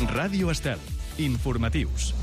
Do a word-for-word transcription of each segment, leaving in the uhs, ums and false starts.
Ràdio Estel. Informatius.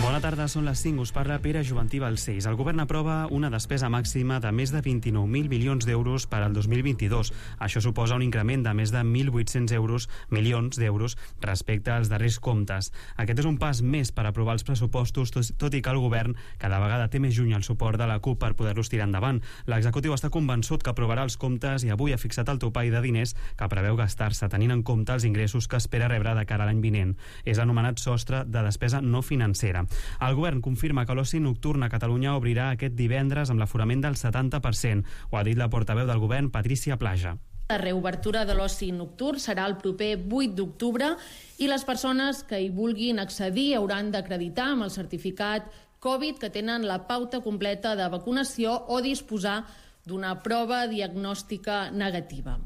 Bona tarda, són les cinc. Us parla Pere Juventí Balcells. El govern aprova una despesa màxima de més de vint-i-nou mil milions d'euros per al dos mil vint-i-dos. Això suposa un increment de més de mil vuit-cents euros, milions d'euros respecte als darrers comptes. Aquest és un pas més per aprovar els pressupostos, tot i que el govern cada vegada té més lluny el suport de la CUP per poder-los tirar endavant. L'executiu està convençut que aprovarà els comptes i avui ha fixat el topall de diners que preveu gastar-se, tenint en compte els ingressos que espera rebre de cara a l'any vinent. És l'anomenat sostre de despesa no financera. El govern confirma que l'oci nocturn a Catalunya obrirà aquest divendres amb l'aforament del setanta per cent. Ho ha dit la portaveu del govern, Patricia Plaja. La reobertura de l'oci nocturn serà el proper vuit d'octubre i les persones que hi vulguin accedir hauran d'acreditar amb el certificat Covid que tenen la pauta completa de vacunació o disposar d'una prova diagnòstica negativa.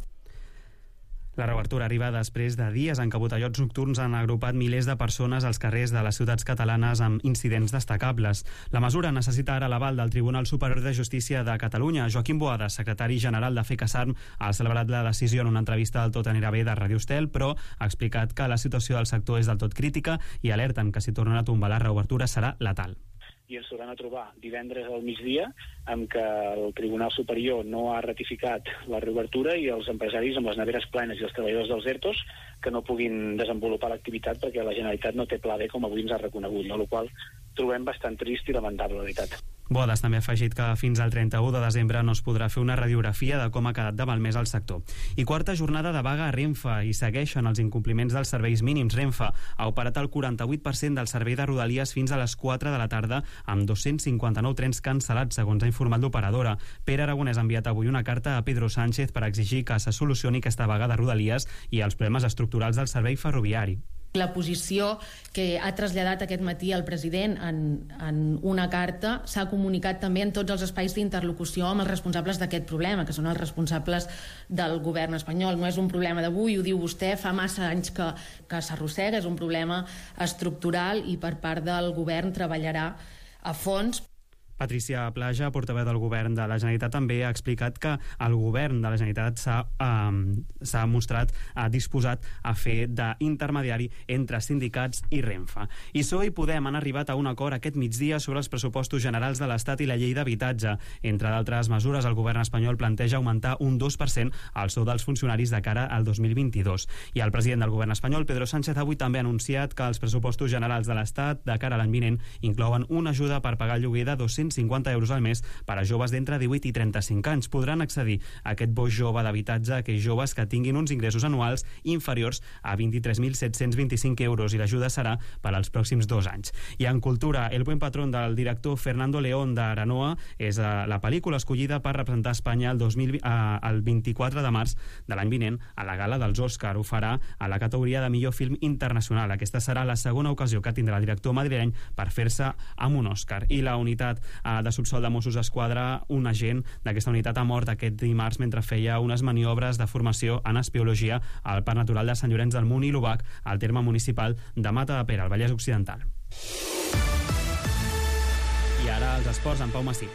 La reobertura arriba després de dies en què botellots nocturns han agrupat milers de persones als carrers de les ciutats catalanes amb incidents destacables. La mesura necessita ara l'aval del Tribunal Superior de Justícia de Catalunya. Joaquim Boada, secretari general de FECASARM, ha celebrat la decisió en una entrevista al Tot anirà bé de Ràdio Estel, però ha explicat que la situació del sector és del tot crítica i alerten que si tornen a tombar la reobertura serà letal. I ens tornem a trobar divendres al migdia amb que el Tribunal Superior no ha ratificat la reobertura i els empresaris amb les neveres plenes i els treballadors dels ERTOs que no puguin desenvolupar l'activitat perquè la Generalitat no té pla B com avui ens ha reconegut, no? El qual trobem bastant trist i lamentable, la veritat. Bodas també ha afegit que fins al trenta-u de desembre no es podrà fer una radiografia de com ha quedat de malmès el sector. I quarta jornada de vaga a Renfe i segueixen els incompliments dels serveis mínims. Renfe ha operat el quaranta-vuit per cent del servei de Rodalies fins a les quatre de la tarda amb dos-cents cinquanta-nou trens cancel·lats, segons ha informat l'operadora. Pere Aragonès ha enviat avui una carta a Pedro Sánchez per exigir que se solucioni aquesta vaga de Rodalies i els problemes estructurals del servei ferroviari. La posició que ha traslladat aquest matí el president en, en una carta s'ha comunicat també en tots els espais d'interlocució amb els responsables d'aquest problema, que són els responsables del govern espanyol. No és un problema d'avui, ho diu vostè, fa massa anys que, que s'arrossega, és un problema estructural i per part del govern treballarà a fons. Patricia Plaja, portaveu del govern de la Generalitat, també ha explicat que el govern de la Generalitat s'ha eh, s'ha mostrat eh, disposat a fer d'intermediari entre sindicats i Renfe. I P S O E i Podem han arribat a un acord aquest migdia sobre els pressupostos generals de l'Estat i la llei d'habitatge. Entre d'altres mesures, el govern espanyol planteja augmentar un dos per cent el sou dels funcionaris de cara al dos mil vint-i-dos. I el president del govern espanyol, Pedro Sánchez, avui també ha anunciat que els pressupostos generals de l'Estat de cara a l'any vinent inclouen una ajuda per pagar el lloguer de dos-cents cinquanta euros al mes per a joves d'entre divuit i trenta-cinc anys. Podran accedir a aquest bo jove d'habitatge a aquells joves que tinguin uns ingressos anuals inferiors a vint-i-tres mil set-cents vint-i-cinc euros i l'ajuda serà per als pròxims dos anys. I en cultura, El buen patrón del director Fernando León d'Aranoa és la pel·lícula escollida per representar Espanya el, dos mil, eh, el vint-i-quatre de març de l'any vinent a la gala dels Òscar. Ho farà a la categoria de millor film internacional. Aquesta serà la segona ocasió que tindrà el director madrileny per fer-se amb un Òscar. I la unitat de subsol de Mossos d'Esquadra, un agent d'aquesta unitat ha mort aquest dimarts mentre feia unes maniobres de formació en espiologia al Parc Natural de Sant Llorenç del Munt i l'Obac, al terme municipal de Mata de Pere, al Vallès Occidental. I ara els esports amb Pau Massí.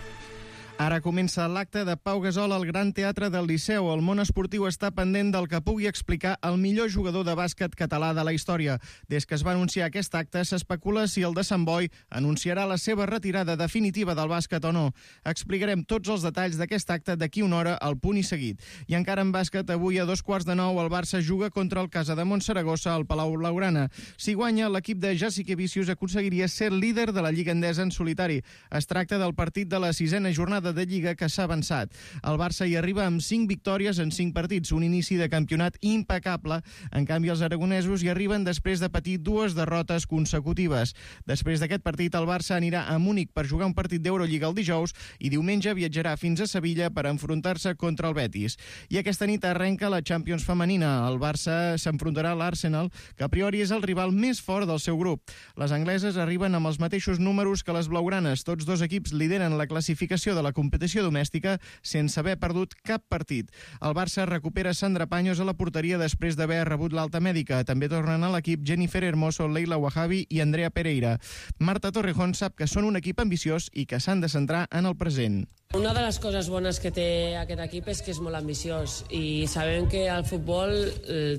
Ara comença l'acte de Pau Gasol al Gran Teatre del Liceu. El món esportiu està pendent del que pugui explicar el millor jugador de bàsquet català de la història. Des que es va anunciar aquest acte, s'especula si el de Sant Boi anunciarà la seva retirada definitiva del bàsquet o no. Explicarem tots els detalls d'aquest acte d'aquí una hora al Punt i Seguit. I encara en bàsquet, avui a dos quarts de nou el Barça juga contra el Casa de Montsaragossa al Palau Blaugrana. Si guanya, l'equip de Jasikevičius aconseguiria ser líder de la Lliga Endesa en solitari. Es tracta del partit de la sisena jornada de Lliga que s'ha avançat. El Barça hi arriba amb cinc victòries en cinc partits, un inici de campionat impecable. En canvi, els aragonesos hi arriben després de patir dues derrotes consecutives. Després d'aquest partit, el Barça anirà a Múnich per jugar un partit d'Eurolliga el dijous i diumenge viatjarà fins a Sevilla per enfrontar-se contra el Betis. I aquesta nit arrenca la Champions femenina. El Barça s'enfrontarà a l'Arsenal, que a priori és el rival més fort del seu grup. Les angleses arriben amb els mateixos números que les blaugranes. Tots dos equips lideren la classificació de la competició domèstica sense haver perdut cap partit. El Barça recupera Sandra Paños a la porteria després d'haver rebut l'alta mèdica. També tornen a l'equip Jennifer Hermoso, Leila Wahabi i Andrea Pereira. Marta Torrejón sap que són un equip ambiciós i que s'han de centrar en el present. Una de les coses bones que té aquest equip és que és molt ambiciós i sabem que al futbol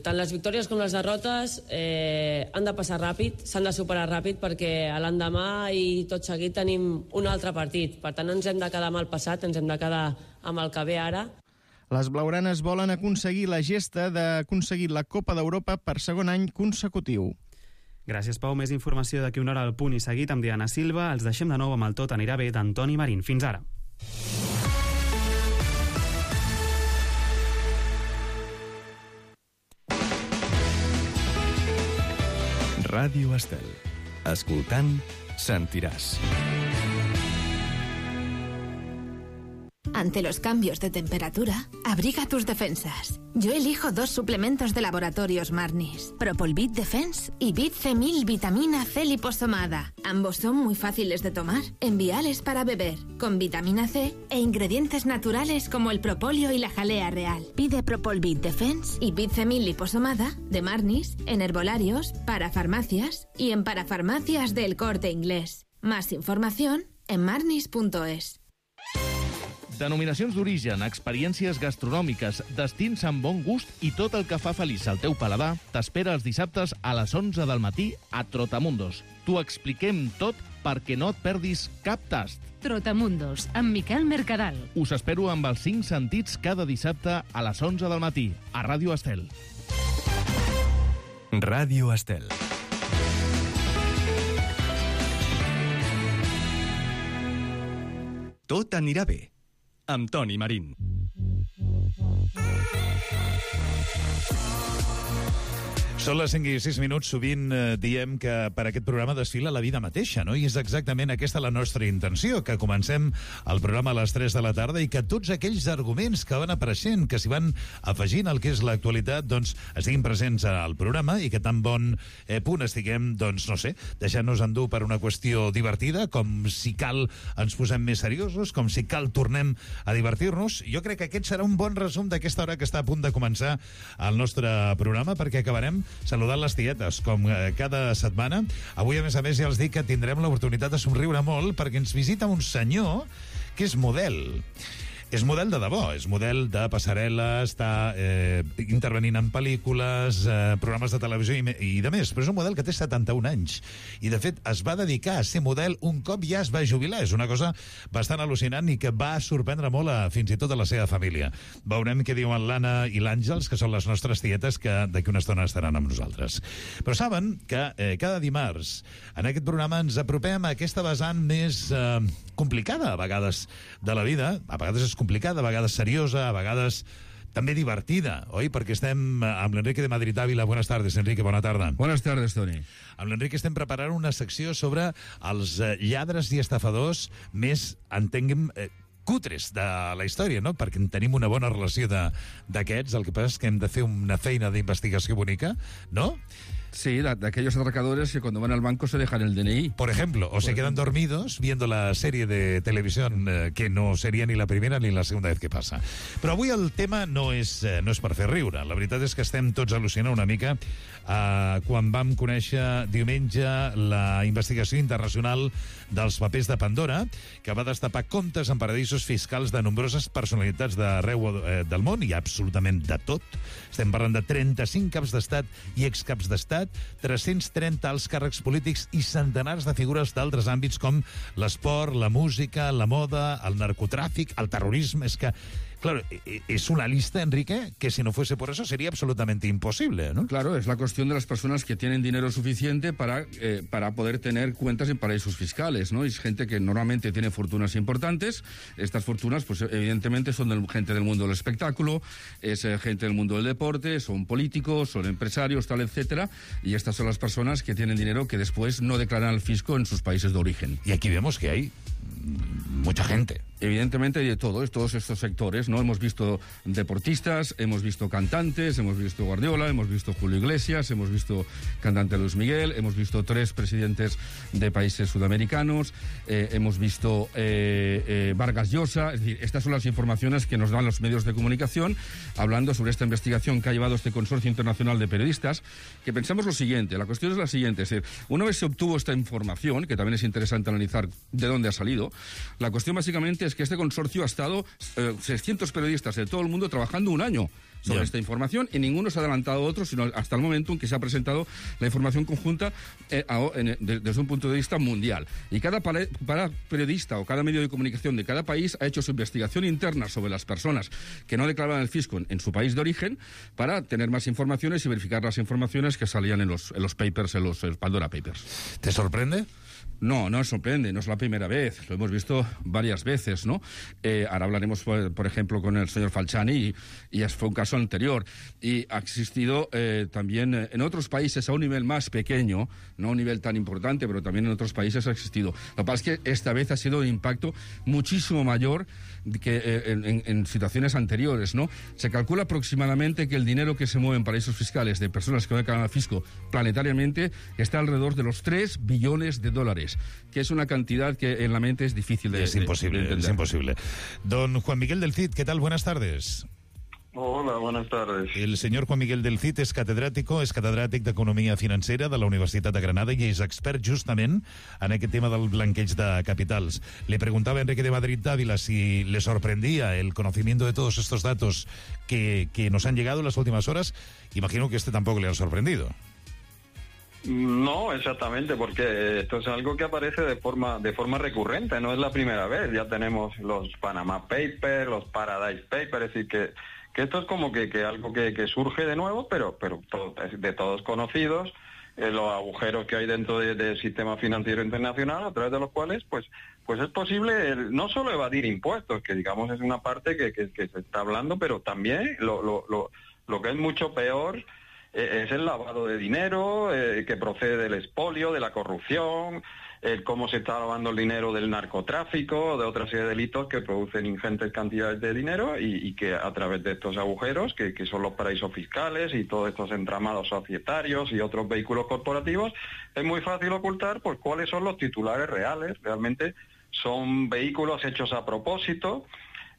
tant les victòries com les derrotes eh, han de passar ràpid, s'han de superar ràpid perquè l'endemà i tot seguit tenim un altre partit. Per tant, no ens hem de quedar amb el passat, ens hem de quedar amb el que ve ara. Les blaugranes volen aconseguir la gesta d'aconseguir la Copa d'Europa per segon any consecutiu. Gràcies, Pau. Més informació d'aquí una hora al Punt i Seguit amb Diana Silva. Els deixem de nou amb el Tot anirà bé d'Antoni Marín. Fins ara. Ràdio Estel. Escoltant, sentiràs. Ante los cambios de temperatura, abriga tus defensas. Yo elijo dos suplementos de Laboratorios Marnis, Propolvit Defense y Bit C mil Vitamina C liposomada. Ambos son muy fáciles de tomar, enviales para beber, con vitamina C e ingredientes naturales como el propóleo y la jalea real. Pide Propolvit Defense y Bit C mil liposomada de Marnis en herbolarios, parafarmacias y en parafarmacias del Corte Inglés. Más información en marnis punto es. Denominacions d'origen, experiències gastronòmiques, destins amb bon gust i tot el que fa feliç al teu paladar t'espera els dissabtes a les onze del matí a Trotamundos. T'ho expliquem tot perquè no et perdis cap tast. Trotamundos, amb Miquel Mercadal. Us espero amb els cinc sentits cada dissabte a les onze del matí a Ràdio Estel. Ràdio Estel. Tot anirà bé amb Toni Marín. Són les cinc i sis minuts, sovint eh, diem que per aquest programa desfila la vida mateixa, no? I és exactament aquesta la nostra intenció, que comencem el programa a les tres de la tarda i que tots aquells arguments que van apareixent, que s'hi van afegint al que és l'actualitat, doncs estiguin presents al programa i que tan bon eh, punt estiguem, doncs no sé, deixant-nos endur per una qüestió divertida, com si cal ens posem més seriosos, com si cal tornem a divertir-nos. Jo crec que aquest serà un bon resum d'aquesta hora que està a punt de començar el nostre programa, perquè acabarem saludant les tietes, com eh, cada setmana. Avui, a més a més, ja els dic que tindrem l'oportunitat de somriure molt perquè ens visita un senyor que és model. És model de debò, és model de passarel·la, està eh, intervenint en pel·lícules, eh, programes de televisió i, i de més, però és un model que té setanta-un anys. I, de fet, es va dedicar a ser model un cop ja es va jubilar. És una cosa bastant al·lucinant i que va sorprendre molt a, fins i tot a la seva família. Veurem què diuen l'Anna i l'Àngels, que són les nostres tietes, que d'aquí una estona estaran amb nosaltres. Però saben que eh, cada dimarts en aquest programa ens apropem a aquesta vessant més eh, complicada, a vegades, de la vida. A vegades és complicada, a vegades seriosa, a vegades també divertida, oi? Perquè estem amb l'Enrique de Madrid Ávila. Buenas tardes, Enrique, bona tarda. Buenas tardes, Toni. Amb l'Enrique estem preparant una secció sobre els eh, lladres i estafadors més, entenguem, eh, cutres de la història, no? Perquè tenim una bona relació d'aquests, el que passa és que hem de fer una feina d'investigació bonica, no? Sí, de, de aquellos atracadores que cuando van al banco se dejan el D N I. Por ejemplo, o Por se ejemplo. quedan dormidos viendo la serie de televisión eh, que no seria ni la primera ni la segunda vez que passa. Però avui el tema no és, eh, no és per fer riure. La veritat és que estem tots al·lucinant una mica eh, quan vam conèixer diumenge la investigació internacional dels papers de Pandora, que va destapar comptes en paradisos fiscals de nombroses personalitats d'arreu eh, del món, i absolutament de tot. Estem parlant de trenta-cinc caps d'estat i excaps d'estat, tres-cents trenta alts càrrecs polítics i centenars de figures d'altres àmbits com l'esport, la música, la moda, el narcotràfic, el terrorisme. És que, claro, es una lista, Enrique, que si no fuese por eso sería absolutamente imposible, ¿no? Claro, es la cuestión de las personas que tienen dinero suficiente para, eh, para poder tener cuentas en paraísos fiscales, ¿no? Es gente que normalmente tiene fortunas importantes. Estas fortunas, pues evidentemente son del, gente del mundo del espectáculo, es eh, gente del mundo del deporte, son políticos, son empresarios, tal, etcétera. Y estas son las personas que tienen dinero que después no declaran al fisco en sus países de origen. Y aquí vemos que hay mucha gente. Evidentemente hay de todo, es todos estos sectores, ¿no? Hemos visto deportistas, hemos visto cantantes, hemos visto Guardiola, hemos visto Julio Iglesias, hemos visto cantante Luis Miguel, hemos visto tres presidentes de países sudamericanos, eh, hemos visto eh, eh, Vargas Llosa. Es decir, estas son las informaciones que nos dan los medios de comunicación hablando sobre esta investigación que ha llevado este Consorcio Internacional de Periodistas, que pensamos lo siguiente, la cuestión es la siguiente, es decir, una vez se obtuvo esta información, que también es interesante analizar de dónde ha salido, La cuestión básicamente es que este consorcio ha estado eh, seiscientos periodistas de todo el mundo trabajando un año sobre yeah. esta información y ninguno se ha adelantado a otro, sino hasta el momento en que se ha presentado la información conjunta eh, a, en, de, desde un punto de vista mundial. Y cada, para, para periodista o cada medio de comunicación de cada país ha hecho su investigación interna sobre las personas que no declaraban el fisco en, en su país de origen para tener más informaciones y verificar las informaciones que salían en los, en los papers, en los, en los Pandora Papers. ¿Te sorprende? No, no sorprende, no es la primera vez, lo hemos visto varias veces, ¿no? Eh, ahora hablaremos, por, por ejemplo, con el señor Falciani y, y fue un caso anterior. Y ha existido eh, también eh, en otros países a un nivel más pequeño, no a un nivel tan importante, pero también en otros países ha existido. Lo que pasa es que esta vez ha sido un impacto muchísimo mayor que eh, en, en, en situaciones anteriores, ¿no? Se calcula aproximadamente que el dinero que se mueve en paraísos fiscales de personas que no declaran al fisco planetariamente está alrededor de los tres billones de dólares, que es una cantidad que en la mente es difícil de, es imposible, de entender. Es imposible. Don Juan Miguel del Cid, ¿qué tal? Buenas tardes. Hola, buenas tardes. El senyor Juan Miguel del Cid és catedràtico, és catedràtic d'Economia Financera de la Universitat de Granada i és expert justament en aquest tema del blanqueig de capitals. Le preguntaba a Enrique de Madrid Dávila si le sorprendía el conocimiento de todos estos datos que, que nos han llegado en las últimas horas. Imagino que este tampoco le han sorprendido. No, exactamente, porque esto es algo que aparece de forma de forma recurrente, no es la primera vez. Ya tenemos los Panama Papers, los Paradise Papers, es decir, que, que esto es como que, que algo que, que surge de nuevo, pero, pero todo, de todos conocidos, eh, los agujeros que hay dentro de, del sistema financiero internacional, a través de los cuales pues pues es posible el, no solo evadir impuestos, que digamos es una parte que, que, que se está hablando, pero también lo, lo, lo, lo que es mucho peor es el lavado de dinero eh, que procede del expolio, de la corrupción, el cómo se está lavando el dinero del narcotráfico, de otra serie de delitos que producen ingentes cantidades de dinero y, y que a través de estos agujeros, que, que son los paraísos fiscales y todos estos entramados societarios y otros vehículos corporativos, es muy fácil ocultar pues cuáles son los titulares reales. Realmente son vehículos hechos a propósito,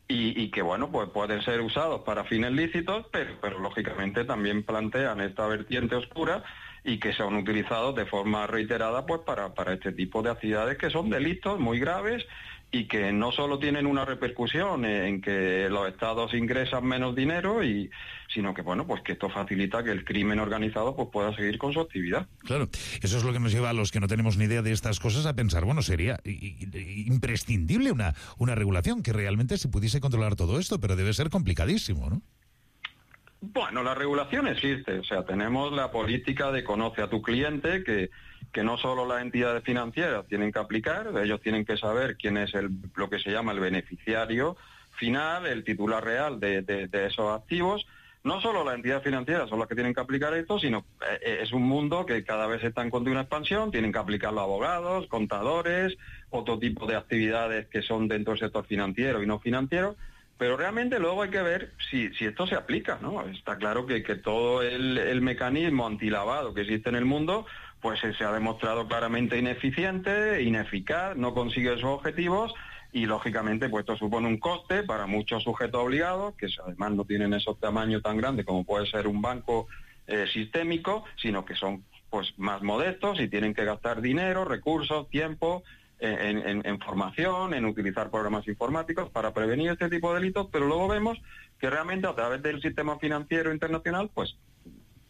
Y, y que, bueno, pues pueden ser usados para fines lícitos, pero, pero lógicamente también plantean esta vertiente oscura y que son utilizados de forma reiterada pues para, para este tipo de actividades que son delitos muy graves y que no solo tienen una repercusión en que los estados ingresan menos dinero, y sino que, bueno, pues que esto facilita que el crimen organizado pues pueda seguir con su actividad. Claro, eso es lo que nos lleva a los que no tenemos ni idea de estas cosas a pensar, bueno, sería imprescindible una, una regulación que realmente se pudiese controlar todo esto, pero debe ser complicadísimo, ¿no? Bueno, la regulación existe, o sea, tenemos la política de conoce a tu cliente, que, que no solo las entidades financieras tienen que aplicar, ellos tienen que saber quién es el, lo que se llama el beneficiario final, el titular real de, de, de esos activos. No solo las entidades financieras son las que tienen que aplicar esto, sino eh, es un mundo que cada vez está en continua expansión, tienen que aplicarlo abogados, contadores, otro tipo de actividades que son dentro del sector financiero y no financiero. Pero realmente luego hay que ver si, si esto se aplica, ¿no? Está claro que, que todo el, el mecanismo antilavado que existe en el mundo, pues se ha demostrado claramente ineficiente, ineficaz, no consigue sus objetivos y, lógicamente, pues esto supone un coste para muchos sujetos obligados, que además no tienen esos tamaños tan grandes como puede ser un banco eh, sistémico, sino que son pues más modestos y tienen que gastar dinero, recursos, tiempo, En, en, en formación, en utilizar programas informáticos para prevenir este tipo de delitos, pero luego vemos que realmente a través del sistema financiero internacional pues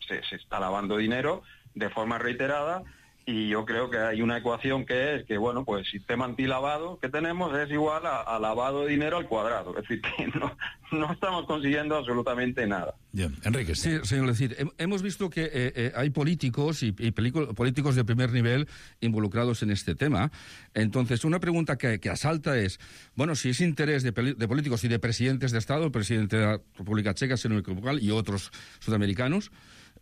se, se está lavando dinero de forma reiterada, y yo creo que hay una ecuación que es que, bueno, pues el sistema antilavado que tenemos es igual a, a lavado de dinero al cuadrado, es decir, que no, no estamos consiguiendo absolutamente nada. Bien, Enrique. Sí, señor Lecid, hemos visto que eh, eh, hay políticos y, y políticos de primer nivel involucrados en este tema. Entonces, una pregunta que, que asalta es, bueno, si es interés de, de políticos y de presidentes de Estado, el presidente de la República Checa, si no me equivoco, y otros sudamericanos,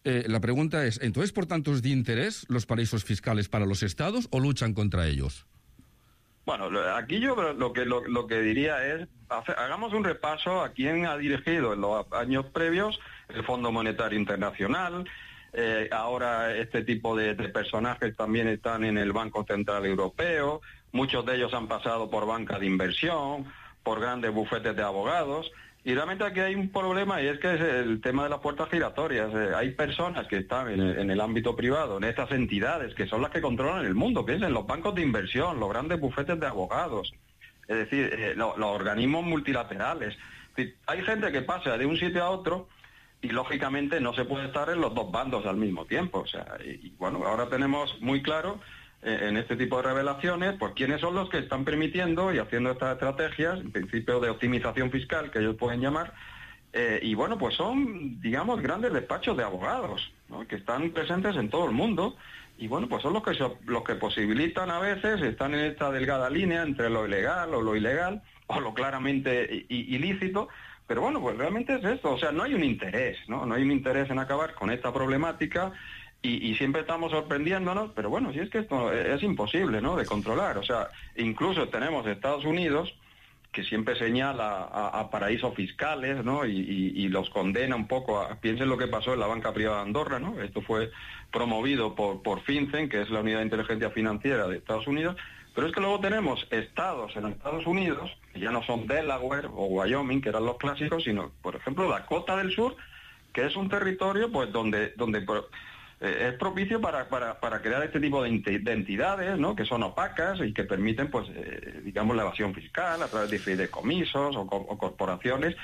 eh, la pregunta es, entonces, por tanto, ¿es de interés los paraísos fiscales para los Estados o luchan contra ellos? Bueno, aquí yo lo que lo, lo que diría es, hace, hagamos un repaso a quién ha dirigido en los años previos el Fondo Monetario Internacional. Eh, ahora este tipo de, de personajes también están en el Banco Central Europeo, muchos de ellos han pasado por banca de inversión, por grandes bufetes de abogados. Y realmente aquí hay un problema, y es que es el tema de las puertas giratorias. Eh, hay personas que están en el, en el ámbito privado, en estas entidades, que son las que controlan el mundo, piensen, los bancos de inversión, los grandes bufetes de abogados, Es decir, eh, lo, los organismos multilaterales. Es decir, hay gente que pasa de un sitio a otro y lógicamente no se puede estar en los dos bandos al mismo tiempo. O sea, y, y bueno, ahora tenemos muy claro eh, en este tipo de revelaciones, pues quiénes son los que están permitiendo y haciendo estas estrategias, en principio de optimización fiscal, que ellos pueden llamar, eh, y bueno, pues son, digamos, grandes despachos de abogados, ¿no?, que están presentes en todo el mundo, y bueno, pues son los que, so, los que posibilitan a veces, están en esta delgada línea entre lo ilegal o lo ilegal, o lo claramente ilícito. Pero bueno, pues realmente es esto, o sea, no hay un interés, ¿no? No hay un interés en acabar con esta problemática y, y siempre estamos sorprendiéndonos, pero bueno, si es que esto es imposible, ¿no?, de controlar. O sea, incluso tenemos Estados Unidos, que siempre señala a, a paraísos fiscales, ¿no?, y, y, y los condena un poco a... Piensen lo que pasó en la banca privada de Andorra, ¿no? Esto fue promovido por, por FinCEN, que es la unidad de inteligencia financiera de Estados Unidos. Pero es que luego tenemos estados en Estados Unidos, que ya no son Delaware o Wyoming, que eran los clásicos, sino, por ejemplo, Dakota del Sur, que es un territorio pues donde donde eh, es propicio para, para, para crear este tipo de, de entidades, ¿no?, que son opacas y que permiten, pues, eh, digamos, la evasión fiscal a través de fideicomisos o, o corporaciones.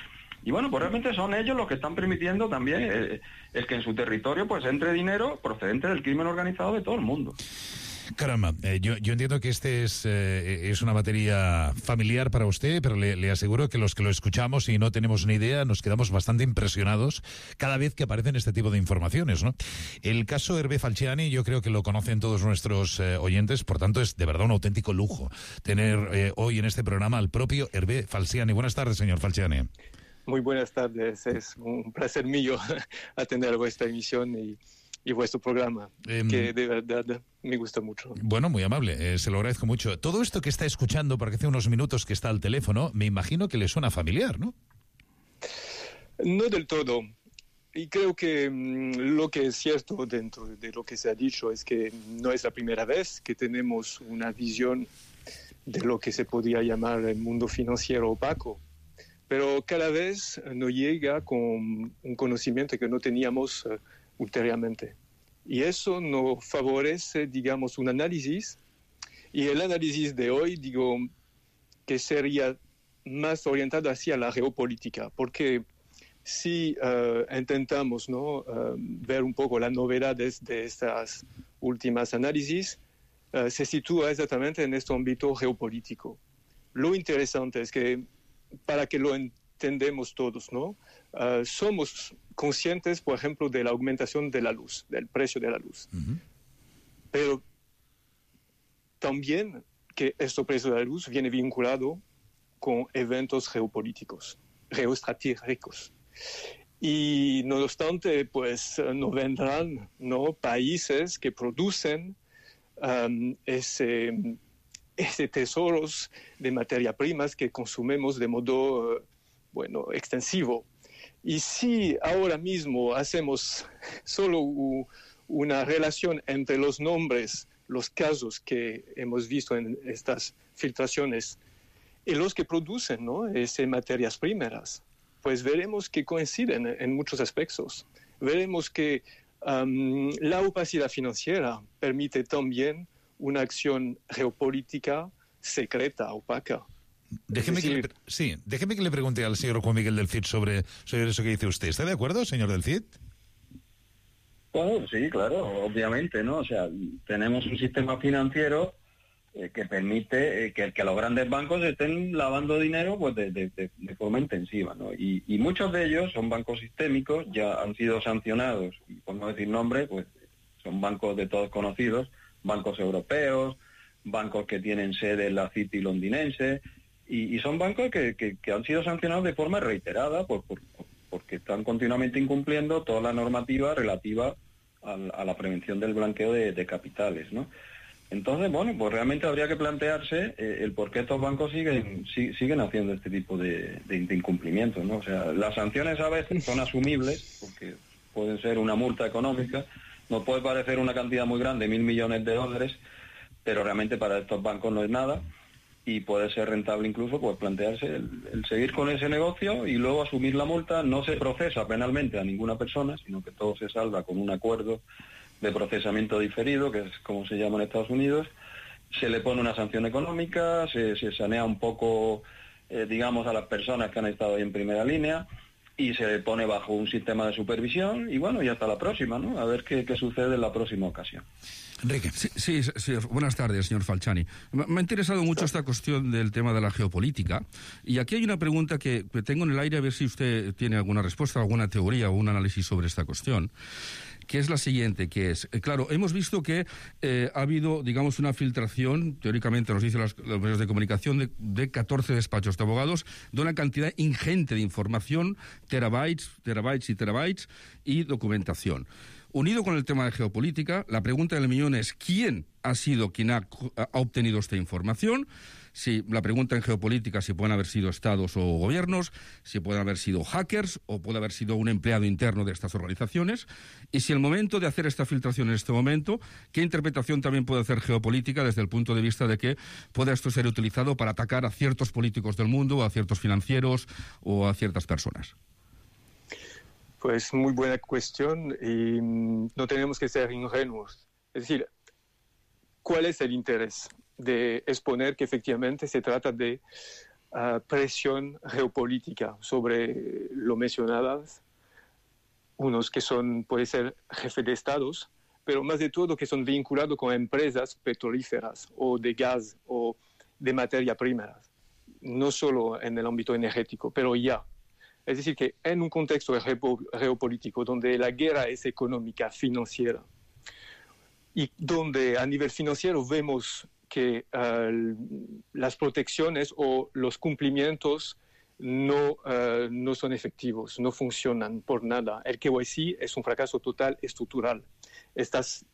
Y bueno, pues realmente son ellos los que están permitiendo también eh, el que en su territorio pues entre dinero procedente del crimen organizado de todo el mundo. Caramba, eh, yo, yo entiendo que este es, eh, es una materia familiar para usted, pero le, le aseguro que los que lo escuchamos y no tenemos ni idea nos quedamos bastante impresionados cada vez que aparecen este tipo de informaciones, ¿no? El caso Hervé Falciani yo creo que lo conocen todos nuestros eh, oyentes, por tanto es de verdad un auténtico lujo tener eh, hoy en este programa al propio Hervé Falciani. Buenas tardes, señor Falciani. Muy buenas tardes, es un placer mío atender vuestra emisión y... y vuestro programa, eh, que de verdad me gusta mucho. Bueno, muy amable, eh, se lo agradezco mucho. Todo esto que está escuchando, porque hace unos minutos que está al teléfono, me imagino que le suena familiar, ¿no? No del todo. Y creo que mmm, lo que es cierto dentro de lo que se ha dicho es que no es la primera vez que tenemos una visión de lo que se podría llamar el mundo financiero opaco, pero cada vez nos llega con un conocimiento que no teníamos uh, ulteriormente. Y eso nos favorece, digamos, un análisis, y el análisis de hoy, digo, que sería más orientado hacia la geopolítica, porque si uh, intentamos, ¿no?, uh, ver un poco las novedades de estas últimas análisis, uh, se sitúa exactamente en este ámbito geopolítico. Lo interesante es que, para que lo entendamos todos, ¿no?, uh, somos conscientes, por ejemplo, de la aumentación de la luz, del precio de la luz. Uh-huh. Pero también que este precio de la luz viene vinculado con eventos geopolíticos, geoestratégicos. Y no obstante, pues no vendrán, ¿no?, países que producen um, ese, ese tesoros de materia primas que consumimos de modo, uh, bueno, extensivo. Y si ahora mismo hacemos solo u, una relación entre los nombres, los casos que hemos visto en estas filtraciones y los que producen, ¿no?, esas materias primeras, pues veremos que coinciden en muchos aspectos. Veremos que um, la opacidad financiera permite también una acción geopolítica secreta, opaca. Déjeme, decir, que le, sí, déjeme que le pregunte al señor Juan Miguel del Cid sobre, sobre eso que dice usted. ¿Está de acuerdo, señor del Cid? Bueno, sí, claro, obviamente, ¿no? O sea, tenemos un sistema financiero eh, que permite eh, que, que los grandes bancos estén lavando dinero pues de, de, de, de forma intensiva, ¿no? Y, y muchos de ellos son bancos sistémicos, ya han sido sancionados, y por no decir nombres, pues son bancos de todos conocidos, bancos europeos, bancos que tienen sede en la City londinense, y, y son bancos que, que, que han sido sancionados de forma reiterada por, por, porque están continuamente incumpliendo toda la normativa relativa a, a la prevención del blanqueo de, de capitales, ¿no? Entonces, bueno, pues realmente habría que plantearse eh, el por qué estos bancos siguen si, siguen haciendo este tipo de, de, de incumplimientos, ¿no? O sea, las sanciones a veces son asumibles, porque pueden ser una multa económica, nos puede parecer una cantidad muy grande, mil millones de dólares, pero realmente para estos bancos no es nada, y puede ser rentable incluso pues plantearse el, el seguir con ese negocio y luego asumir la multa. No se procesa penalmente a ninguna persona, sino que todo se salda con un acuerdo de procesamiento diferido, que es como se llama en Estados Unidos. se le pone una sanción económica, se, se sanea un poco, eh, digamos, a las personas que han estado ahí en primera línea y se le pone bajo un sistema de supervisión y bueno, y hasta la próxima, ¿no? A ver qué, qué sucede en la próxima ocasión. Enrique. Sí, sí, sí, buenas tardes, señor Falciani. Me ha interesado mucho esta cuestión del tema de la geopolítica y aquí hay una pregunta que, que tengo en el aire a ver si usted tiene alguna respuesta, alguna teoría o un análisis sobre esta cuestión, que es la siguiente, que es, eh, claro, hemos visto que eh, ha habido, digamos, una filtración, teóricamente nos dicen los, los medios de comunicación, de, de catorce despachos de abogados, de una cantidad ingente de información, terabytes, terabytes y terabytes, y documentación. Unido con el tema de geopolítica, la pregunta del millón es ¿quién ha sido quien ha, ha obtenido esta información? Si la pregunta en geopolítica si pueden haber sido estados o gobiernos, si pueden haber sido hackers o puede haber sido un empleado interno de estas organizaciones. Y si el momento de hacer esta filtración en este momento, ¿qué interpretación también puede hacer geopolítica desde el punto de vista de que pueda esto ser utilizado para atacar a ciertos políticos del mundo, a ciertos financieros o a ciertas personas? Pues muy buena cuestión y no tenemos que ser ingenuos. Es decir, ¿cuál es el interés de exponer que efectivamente se trata de uh, presión geopolítica sobre lo mencionadas? Unos que son, puede ser jefes de estados, pero más de todo que son vinculados con empresas petrolíferas o de gas o de materia prima, no solo en el ámbito energético, pero ya. Es decir, que en un contexto geopolítico donde la guerra es económica, financiera, y donde a nivel financiero vemos que uh, las protecciones o los cumplimientos no, uh, no son efectivos, no funcionan por nada. El K Y C es un fracaso total estructural. Estás,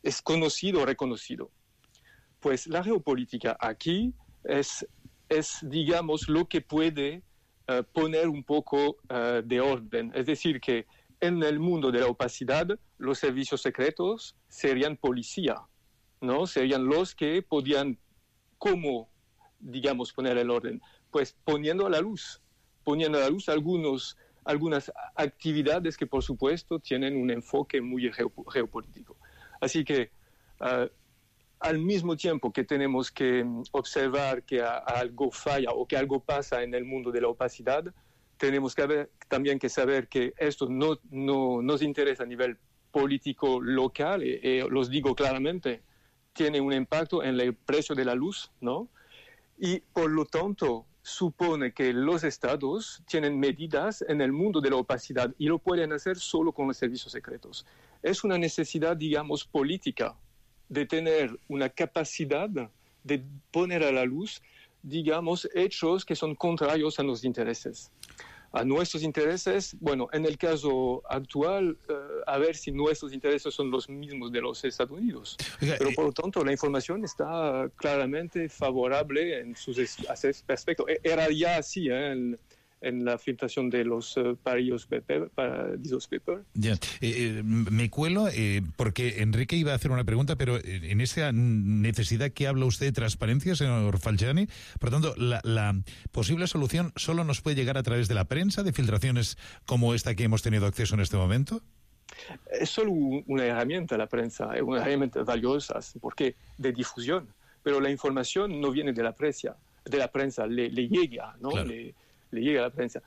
es conocido, reconocido. Pues la geopolítica aquí es, es digamos, lo que puede Uh, poner un poco uh, de orden. Es decir, que en el mundo de la opacidad, los servicios secretos serían policía, ¿no? Serían los que podían, ¿cómo, digamos, poner el orden? Pues poniendo a la luz, poniendo a la luz algunos, algunas actividades que, por supuesto, tienen un enfoque muy geopolítico. Así que, uh, al mismo tiempo que tenemos que observar que a, a algo falla o que algo pasa en el mundo de la opacidad, tenemos que haber, también que saber que esto no, no nos interesa a nivel político local, y, y los digo claramente, tiene un impacto en el precio de la luz, ¿no? Y por lo tanto supone que los estados tienen medidas en el mundo de la opacidad y lo pueden hacer solo con los servicios secretos. Es una necesidad, digamos, política, de tener una capacidad de poner a la luz, digamos, hechos que son contrarios a los intereses. A nuestros intereses, bueno, en el caso actual, uh, a ver si nuestros intereses son los mismos de los Estados Unidos. Oiga, Pero por lo tanto, la información está claramente favorable en sus aspectos. Era ya así, ¿eh? En, en la filtración de los uh, Paradise Papers. Paper. Ya. Eh, eh, me cuelo eh, porque Enrique iba a hacer una pregunta, pero en esa necesidad que habla usted de transparencia, señor Falciani, por tanto, la, la posible solución solo nos puede llegar a través de la prensa, de filtraciones como esta que hemos tenido acceso en este momento. Es solo una herramienta la prensa, es una herramienta valiosa, porque de difusión, pero la información no viene de la prensa, de la prensa le, le llega, ¿no? Claro. Le, le llega a la prensa.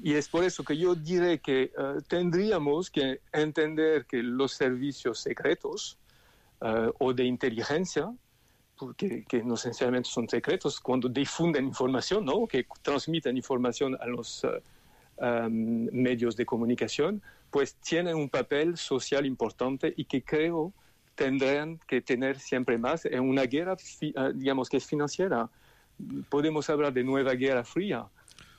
Y es por eso que yo diré que uh, tendríamos que entender que los servicios secretos uh, o de inteligencia, porque que no esencialmente son secretos, cuando difunden información, ¿no? Que transmiten información a los uh, um, medios de comunicación, pues tienen un papel social importante y que creo tendrán que tener siempre más en una guerra, uh, digamos, que es financiera. Podemos hablar de nueva guerra fría,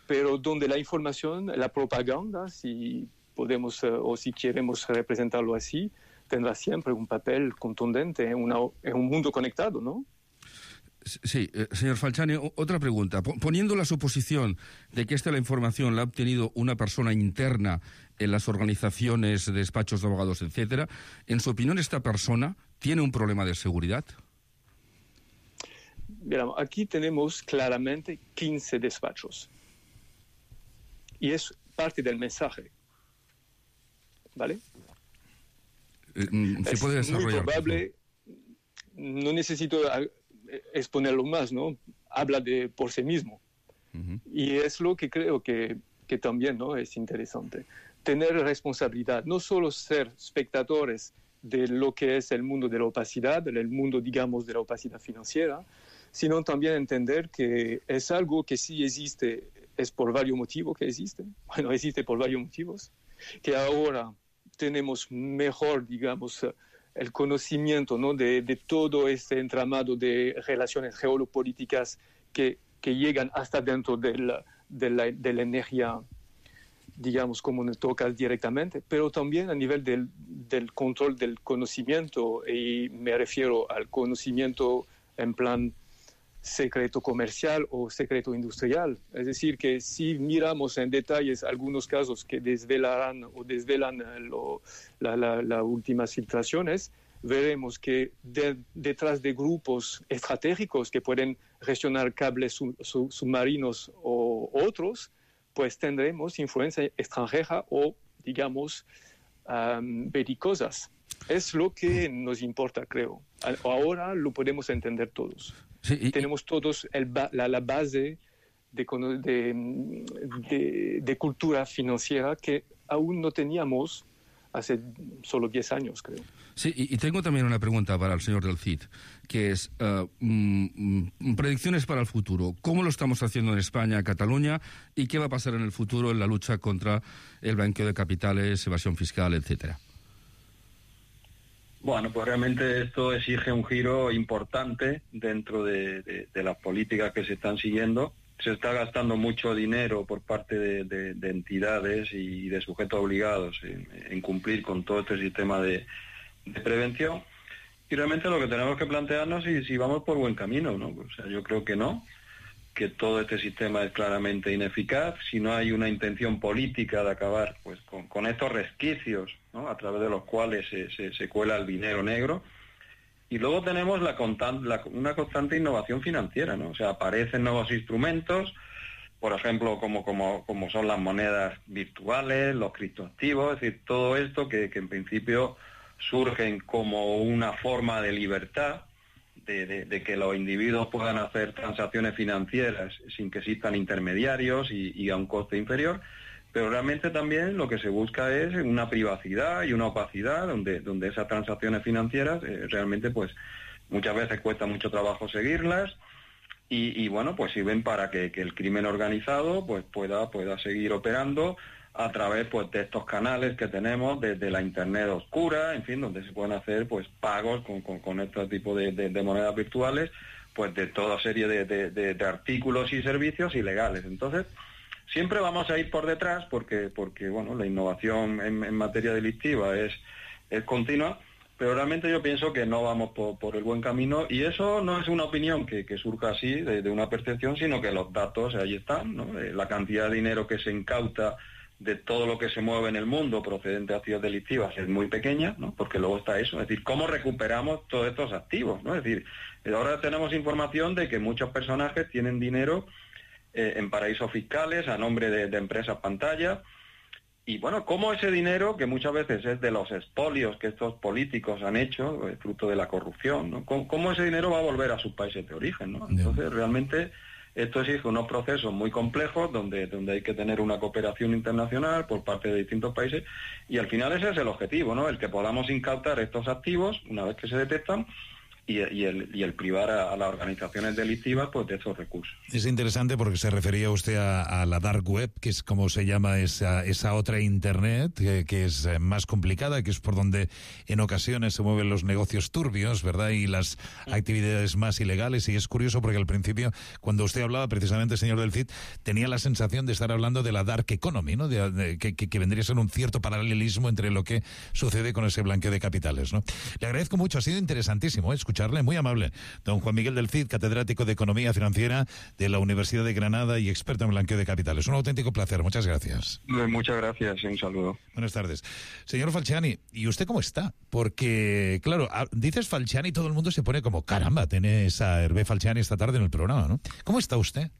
pero donde la información, la propaganda, si podemos uh, o si queremos representarlo así, tendrá siempre un papel contundente en, una, en un mundo conectado, ¿no? Sí, eh, señor Falciani, otra pregunta. Poniendo la suposición de que esta la información la ha obtenido una persona interna en las organizaciones, despachos de abogados, etcétera, ¿en su opinión esta persona tiene un problema de seguridad? Mira, aquí tenemos claramente quince despachos. Y es parte del mensaje, ¿vale? Eh, ¿Se puede desarrollar? Es muy probable, no necesito exponerlo más, ¿no? Habla de por sí mismo. Uh-huh. Y es lo que creo que, que también, ¿no?, es interesante. Tener responsabilidad, no solo ser espectadores de lo que es el mundo de la opacidad, el mundo, digamos, de la opacidad financiera, sino también entender que es algo que sí existe, es por varios motivos que existe, bueno, existe por varios motivos, que ahora tenemos mejor, digamos, el conocimiento, ¿no?, de, de todo este entramado de relaciones geopolíticas que, que llegan hasta dentro de la, de la, de la energía, digamos, como nos toca directamente, pero también a nivel del, del control del conocimiento, y me refiero al conocimiento en plan secreto comercial o secreto industrial. Es decir, que si miramos en detalles algunos casos que desvelarán o desvelan lo, la, la, las últimas filtraciones, veremos que de, detrás de grupos estratégicos que pueden gestionar cables sub, sub, submarinos o otros, pues tendremos influencia extranjera o, digamos, um, belicosas. Es lo que nos importa, creo. Ahora lo podemos entender todos. Sí, y, Tenemos todos el ba- la, la base de, de, de, de cultura financiera que aún no teníamos hace solo diez años, creo. Sí, y, y tengo también una pregunta para el señor del C I D, que es uh, mm, predicciones para el futuro. ¿Cómo lo estamos haciendo en España, Cataluña? ¿Y qué va a pasar en el futuro en la lucha contra el blanqueo de capitales, evasión fiscal, etcétera? Bueno, pues realmente esto exige un giro importante dentro de, de, de las políticas que se están siguiendo. Se está gastando mucho dinero por parte de, de, de entidades y de sujetos obligados en, en cumplir con todo este sistema de, de prevención. Y realmente lo que tenemos que plantearnos es si, si vamos por buen camino, ¿no? O sea, yo creo que no, que todo este sistema es claramente ineficaz, si no hay una intención política de acabar pues con, con estos resquicios, ¿no?, a través de los cuales se, se, se cuela el dinero negro. Y luego tenemos la, constan, la una constante innovación financiera, ¿no? O sea, aparecen nuevos instrumentos, por ejemplo, como, como, como son las monedas virtuales, los criptoactivos, es decir, todo esto que, que en principio surgen como una forma de libertad, De, de, de que los individuos puedan hacer transacciones financieras sin que existan intermediarios y, y a un coste inferior, pero realmente también lo que se busca es una privacidad y una opacidad donde, donde esas transacciones financieras eh, realmente pues muchas veces cuesta mucho trabajo seguirlas y, y bueno, pues sirven para que, que el crimen organizado pues pueda, pueda seguir operando a través pues de estos canales que tenemos desde la internet oscura, en fin, donde se pueden hacer pues pagos con, con, con este tipo de, de, de monedas virtuales, pues de toda serie de, de, de, de artículos y servicios ilegales. Entonces, siempre vamos a ir por detrás porque, porque bueno, la innovación en, en materia delictiva es, es continua, pero realmente yo pienso que no vamos por, por el buen camino y eso no es una opinión que, que surja así de, de una percepción, sino que los datos ahí están, ¿no? La cantidad de dinero que se incauta de todo lo que se mueve en el mundo procedente de actividades delictivas es muy pequeña, ¿no? Porque luego está eso, es decir, ¿cómo recuperamos todos estos activos, ¿no? Es decir, ahora tenemos información de que muchos personajes tienen dinero eh, en paraísos fiscales a nombre de, de empresas pantalla y bueno, ¿cómo ese dinero, que muchas veces es de los expolios que estos políticos han hecho, eh, fruto de la corrupción, ¿no? ¿Cómo, cómo ese dinero va a volver a sus países de origen, ¿no? Entonces, realmente esto exige unos procesos muy complejos donde, donde hay que tener una cooperación internacional por parte de distintos países y al final ese es el objetivo, ¿no? El que podamos incautar estos activos una vez que se detectan y, y, el, y el privar a, a las organizaciones delictivas pues de esos recursos. Es interesante porque se refería usted a, a la dark web, que es como se llama esa, esa otra internet, que, que es más complicada, que es por donde en ocasiones se mueven los negocios turbios, ¿verdad? Y las actividades más ilegales. Y es curioso porque al principio, cuando usted hablaba precisamente, señor del C I D, tenía la sensación de estar hablando de la dark economy, ¿no? De, de, que, que vendría a ser un cierto paralelismo entre lo que sucede con ese blanqueo de capitales, ¿no? Le agradezco mucho, ha sido interesantísimo, ¿eh? Escucharle, muy amable. Don Juan Miguel del C I D, catedrático de Economía Financiera de la Universidad de Granada y experto en blanqueo de capitales. Un auténtico placer, muchas gracias. Muchas gracias, un saludo. Buenas tardes. Señor Falciani, ¿y usted cómo está? Porque, claro, dices Falciani y todo el mundo se pone como, caramba, tenés a Hervé Falciani esta tarde en el programa, ¿no? ¿Cómo está usted?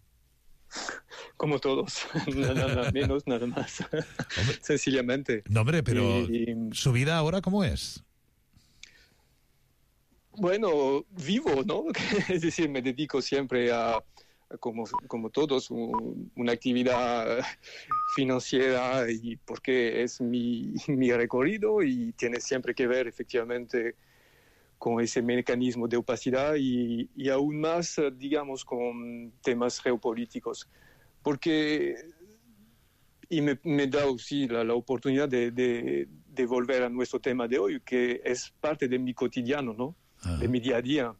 Como todos, nada menos, nada más. Hombre, sencillamente. No, hombre, pero y, y... ¿su vida ahora cómo es? Bueno, vivo, ¿no? Es decir, me dedico siempre a, como, como todos, un, una actividad financiera y porque es mi, mi recorrido y tiene siempre que ver efectivamente con ese mecanismo de opacidad y, y aún más, digamos, con temas geopolíticos. Porque, y me, me da aussi la, la oportunidad de, de, de volver a nuestro tema de hoy, que es parte de mi cotidiano, ¿no? Uh-huh. De mi día a día.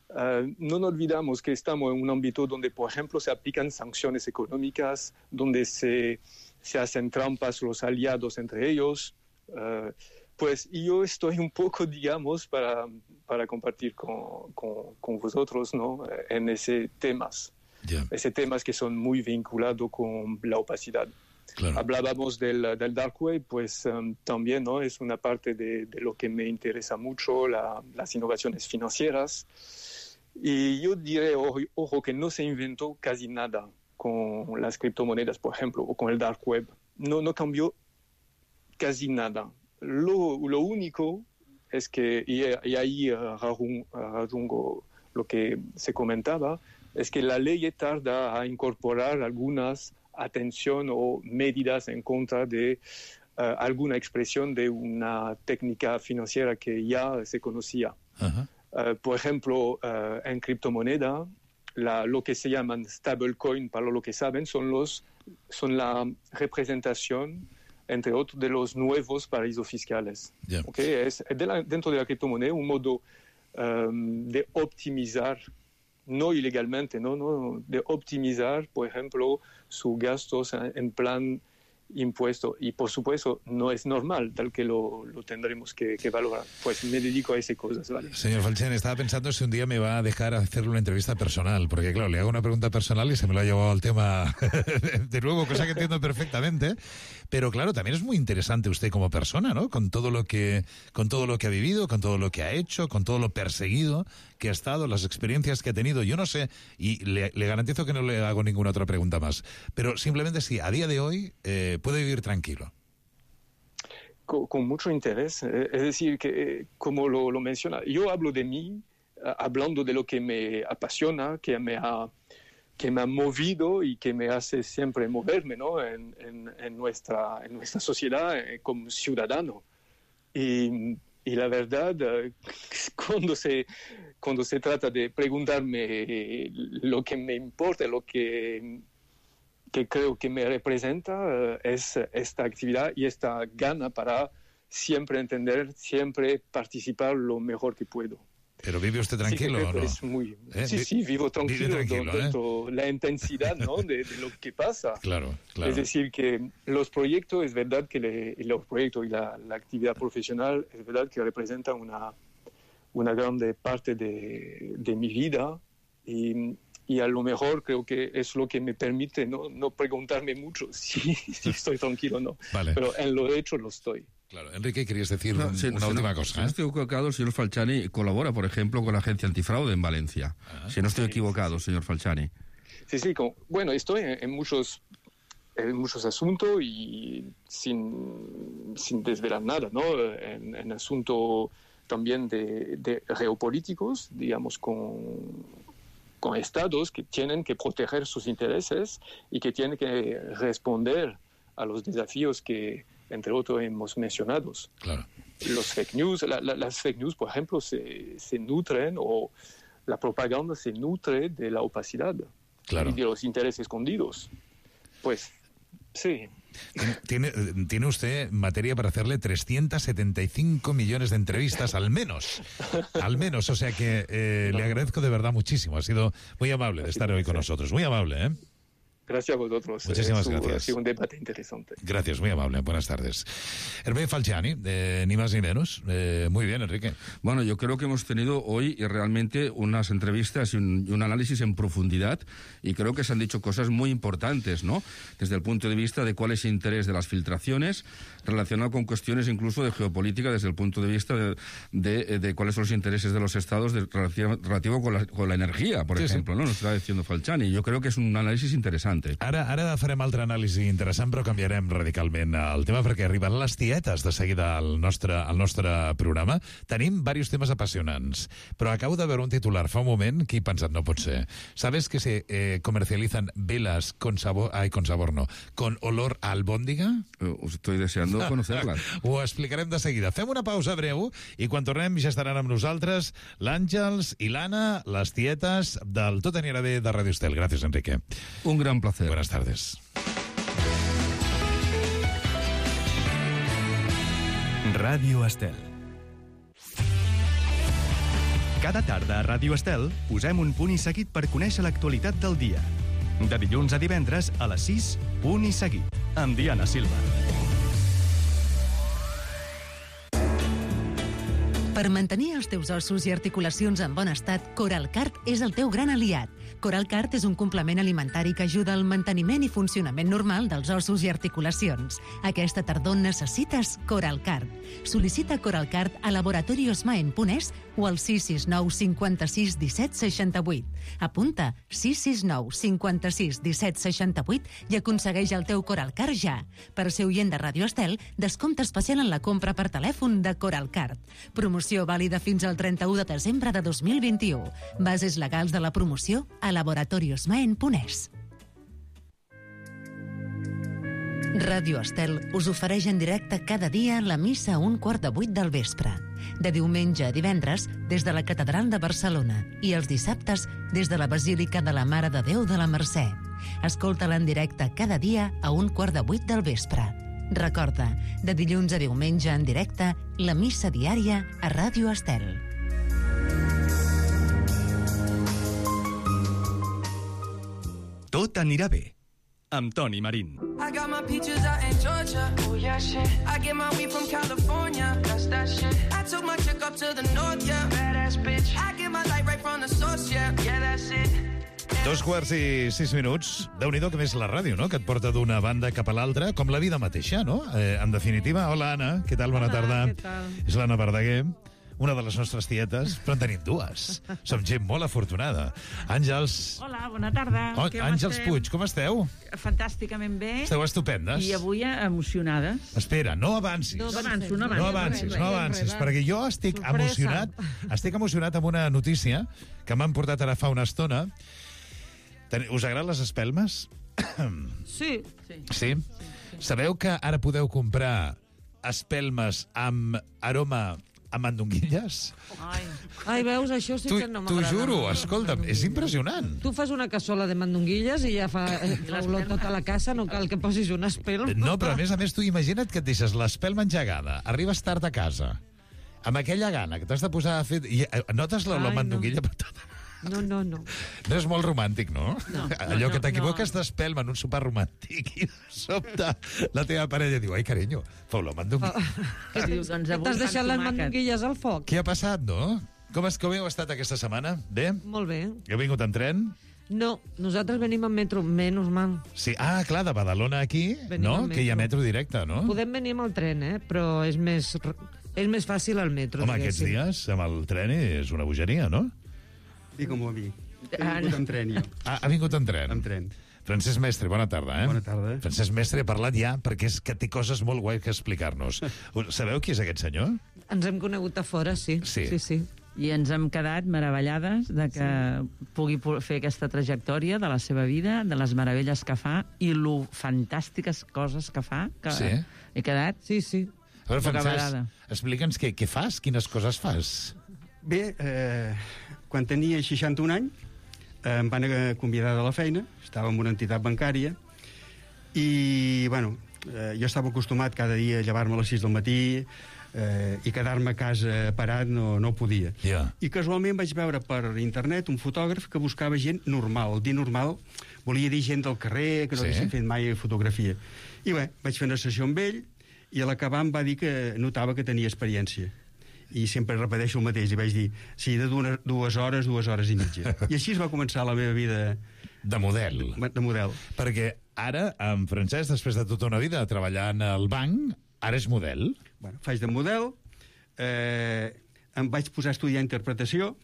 Uh, no nos olvidamos que estamos en un ámbito donde, por ejemplo, se aplican sanciones económicas, donde se, se hacen trampas los aliados entre ellos. Uh, pues yo estoy un poco, digamos, para, para compartir con, con, con vosotros, ¿no? En ese temas. Yeah. Ese temas que son muy vinculados con la opacidad. Claro. Hablábamos del, del dark web, pues um, también, ¿no? Es una parte de, de lo que me interesa mucho, la, las innovaciones financieras. Y yo diré, ojo, ojo, que no se inventó casi nada con las criptomonedas, por ejemplo, o con el dark web. No, no cambió casi nada. Lo, lo único es que, y, y ahí uh, rajungo lo que se comentaba, es que la ley tarda a incorporar algunas atención o medidas en contra de uh, alguna expresión de una técnica financiera que ya se conocía. Uh-huh. Uh, por ejemplo, uh, en criptomoneda, la, lo que se llaman stablecoin, para lo que saben, son, los, son la representación, entre otros, de los nuevos paraísos fiscales. Yeah. ¿Okay? Es de la, dentro de la criptomoneda un modo um, de optimizar, no ilegalmente, ¿no? No, de optimizar, por ejemplo, sus gastos en plan impuesto. Y, por supuesto, no es normal, tal que lo, lo tendremos que, que valorar. Pues me dedico a esas cosas, ¿vale? Señor Falciani, estaba pensando si un día me va a dejar hacerle una entrevista personal, porque, claro, le hago una pregunta personal y se me lo ha llevado al tema de nuevo, cosa que entiendo perfectamente. Pero, claro, también es muy interesante usted como persona, ¿no? Con todo lo que, con todo lo que ha vivido, con todo lo que ha hecho, con todo lo perseguido que ha estado, las experiencias que ha tenido. Yo no sé, y le, le garantizo que no le hago ninguna otra pregunta más, pero simplemente si a día de hoy eh, puede vivir tranquilo. Con, con mucho interés. Es decir, que como lo, lo menciona, yo hablo de mí, hablando de lo que me apasiona, que me ha, que me ha movido y que me hace siempre moverme, ¿no? en, en, en, nuestra, en nuestra sociedad eh, como ciudadano. Y, y la verdad, cuando se, cuando se trata de preguntarme lo que me importa, lo que, que creo que me representa, es esta actividad y esta gana para siempre entender, siempre participar lo mejor que puedo. ¿Pero vive usted tranquilo sí, o no? Es muy... ¿Eh? Sí, sí, vivo tranquilo, vive tranquilo dentro ¿eh? La intensidad, ¿no? de, de lo que pasa. Claro, claro. Es decir, que los proyectos, es verdad que le, los proyectos y la, la actividad profesional, es verdad que representan una, una grande parte de, de mi vida y, y a lo mejor creo que es lo que me permite no, no preguntarme mucho si, si estoy tranquilo o no. Vale. Pero en lo hecho lo estoy. Claro, Enrique, querías decir no, si, una si última no, cosa. Si ¿eh? no estoy equivocado, el señor Falciani colabora, por ejemplo, con la Agencia Antifraude en Valencia. Ah, si no estoy sí, equivocado, sí, sí. señor Falciani. Sí, sí, como, bueno, estoy en, en, muchos, en muchos asuntos y sin, sin desvelar nada, ¿no? En, en asuntos también de, de geopolíticos, digamos, con, con estados que tienen que proteger sus intereses y que tienen que responder a los desafíos que, entre otros, hemos mencionado. Claro. Los fake news, la, la, las fake news, por ejemplo, se, se nutren, o la propaganda se nutre de la opacidad, claro, y de los intereses escondidos. Pues, sí. Tiene, tiene usted materia para hacerle trescientos setenta y cinco millones de entrevistas, al menos. Al menos, o sea que eh, le agradezco de verdad muchísimo. Ha sido muy amable de estar hoy con nosotros. Muy amable, ¿eh? Gracias a vosotros. Muchísimas eh, gracias. Ha sido un debate interesante. Gracias, muy amable. Buenas tardes. Enrique Falciani, eh, ni más ni menos. Eh, muy bien, Enrique. Bueno, yo creo que hemos tenido hoy realmente unas entrevistas y un, y un análisis en profundidad, y creo que se han dicho cosas muy importantes, ¿no? Desde el punto de vista de cuál es el interés de las filtraciones, relacionado con cuestiones incluso de geopolítica, desde el punto de vista de, de, de cuáles son los intereses de los estados de, relativo, relativo con, la, con la energía, por sí, ejemplo, sí. ¿no? Nos está diciendo Falciani. Yo creo que es un análisis interesante. adelante. Ara, ara farem altra anàlisi interessant, però canviarem radicalment el tema, perquè arriben les tietes de seguida al nostre, al nostre programa. Tenim diversos temes apassionants, però acabo de veure un titular fa un moment que he pensat, no pot ser. ¿Sabes que se eh, comercializan velas con sabor, ay, con sabor no, con olor a albóndiga? Uh, estoy deseando conocerlas. Ho explicarem de seguida. Fem una pausa breu i quan tornem ja estaran amb nosaltres l'Àngels i l'Anna, les tietes del Tot anirà bé de Radio Estel. Gràcies, Enrique. Un gran placer. Buenas tardes. Ràdio Estel. Cada tarda a Ràdio Estel posem un punt i seguit per conèixer l'actualitat del dia. De dilluns a divendres a les sis, punt i seguit, amb Diana Silva. Per mantenir els teus ossos i articulacions en bon estat, Coralcart és el teu gran aliat. Coralcart és un complement alimentari que ajuda al manteniment i funcionament normal dels ossos i articulacions. Aquesta tardor necessites Coralcart. Sol·licita Coralcart a laboratoriosmaen punt es o al sis sis nou cinquanta-sis disset seixanta-vuit. Apunta sis sis nou cinquanta-sis disset seixanta-vuit i aconsegueix el teu Coralcart ja. Per ser oient de Radio Estel, descompte especial en la compra per telèfon de Coralcart. Promoció vàlida fins al trenta-u de desembre de dos mil vint-i-u. Bases legals de la promoció a laboratoriosmaen punt es. Ràdio Estel us ofereix en directe cada dia la missa a un quart de vuit del vespre. De diumenge a divendres, des de la Catedral de Barcelona, i els dissabtes, des de la Basílica de la Mare de Déu de la Mercè. Escolta-la en directe cada dia a un quart de vuit del vespre. Recorda, de dilluns a diumenge en directe, la missa diària a Ràdio Estel. Tot anirà bé, amb Toni Marín. I got my peaches out in Georgia. Oh yeah, shit. I get my weed from California. That's that shit. I took my chick up to the north, yeah. Badass bitch. I get my light right from the source, yeah. Yeah, that's it. Dos quarts i sis minuts. Déu-n'hi-do que més la ràdio, no?, que et porta d'una banda cap a l'altra, com la vida mateixa, no? Eh, en definitiva, hola, Anna, què tal? Bona Hola, tarda. què tal? És l'Anna Verdaguer, una de les nostres tietes, però en tenim dues. Som gent molt afortunada. Àngels... Hola, bona tarda. Oh, Com Àngels estem? Puig, com esteu? Fantàsticament bé. Esteu estupendes. I avui emocionades. Espera, no avancis. No avanço, no avanço. No avancis, no avancis, perquè jo estic Sorpresa. emocionat, estic emocionat amb una notícia que m'han portat ara fa una estona. Ten- Us agraden les espelmes? Sí. sí. Sí? Sabeu que ara podeu comprar espelmes amb aroma a mandonguilles? Ai, Ai veus, això sí T'ho que no t'ho m'agrada. juro, escolta'm, és impressionant. Tu fas una cassola de mandonguilles i ja fa, eh, fa olor tota la casa, no cal que posis un espelm. No, però a més a més tu imagina't que et deixes l'espelma engegada, arribes tard a casa, amb aquella gana que t'has de posar a fer... I eh, notes la, la Ai, no. mandonguilla per tot. No, no, no. No és molt romàntic, no? No, Allò no, que t'equivoques no. d'espelma en un sopar romàntic i de sobte la teva parella diu, ai, carinyo, feu la mandonguilla. Què dius? Doncs avui t'has deixat les mandonguilles al foc? Què ha passat, no? Com, és, com heu estat aquesta setmana? Bé? Molt bé. Heu vingut en tren? No, nosaltres venim en metro, menys mal. Sí, ah, clar, de Badalona aquí, Venim no? en Que hi ha metro. metro directe, no? Podem venir amb el tren, eh? Però és més, és més fàcil el metro. Home, aquests diguéssim. dies amb el tren és una bogeria, no? I com ho vi. He Ah, vingut en tren, jo. Ah, ha vingut en tren. En tren. Francesc Mestre, bona tarda, eh? Bona tarda. Francesc Mestre ha parlat ja perquè és que té coses molt guai que explicar-nos. Sabeu qui és aquest senyor? Ens hem conegut a fora, sí. Sí. sí, sí. I ens hem quedat meravellades de que sí. pugui po- fer aquesta trajectòria de la seva vida, de les meravelles que fa i lo fantàstiques coses que fa, que Sí. he quedat... Sí, sí. A veure, bocabarada. Francesc, explica'ns què, què fas, quines coses fas. Bé, eh, quan tenia seixanta-un anys, eh, em van eh, convidar de la feina, estava en una entitat bancària, i, bueno, eh, jo estava acostumat cada dia a llevar-me a les sis del matí, eh, i quedar-me a casa parat no, no podia. Yeah. I casualment vaig veure per internet un fotògraf que buscava gent normal. Dir normal volia dir gent del carrer, que no Sí. haguessin fet mai fotografia. I bé, vaig fer una sessió amb ell, i a l'acabar em va dir que notava que tenia experiència. I sempre repeteixo el mateix, i vaig dir, sí, de dues, dues hores, dues hores i mitja. I així es va començar la meva vida... De model. De model. Perquè ara, en Francesc, després de tota una vida treballant al banc, ara és model. Bueno, faig de model, eh, em vaig posar a estudiar interpretació,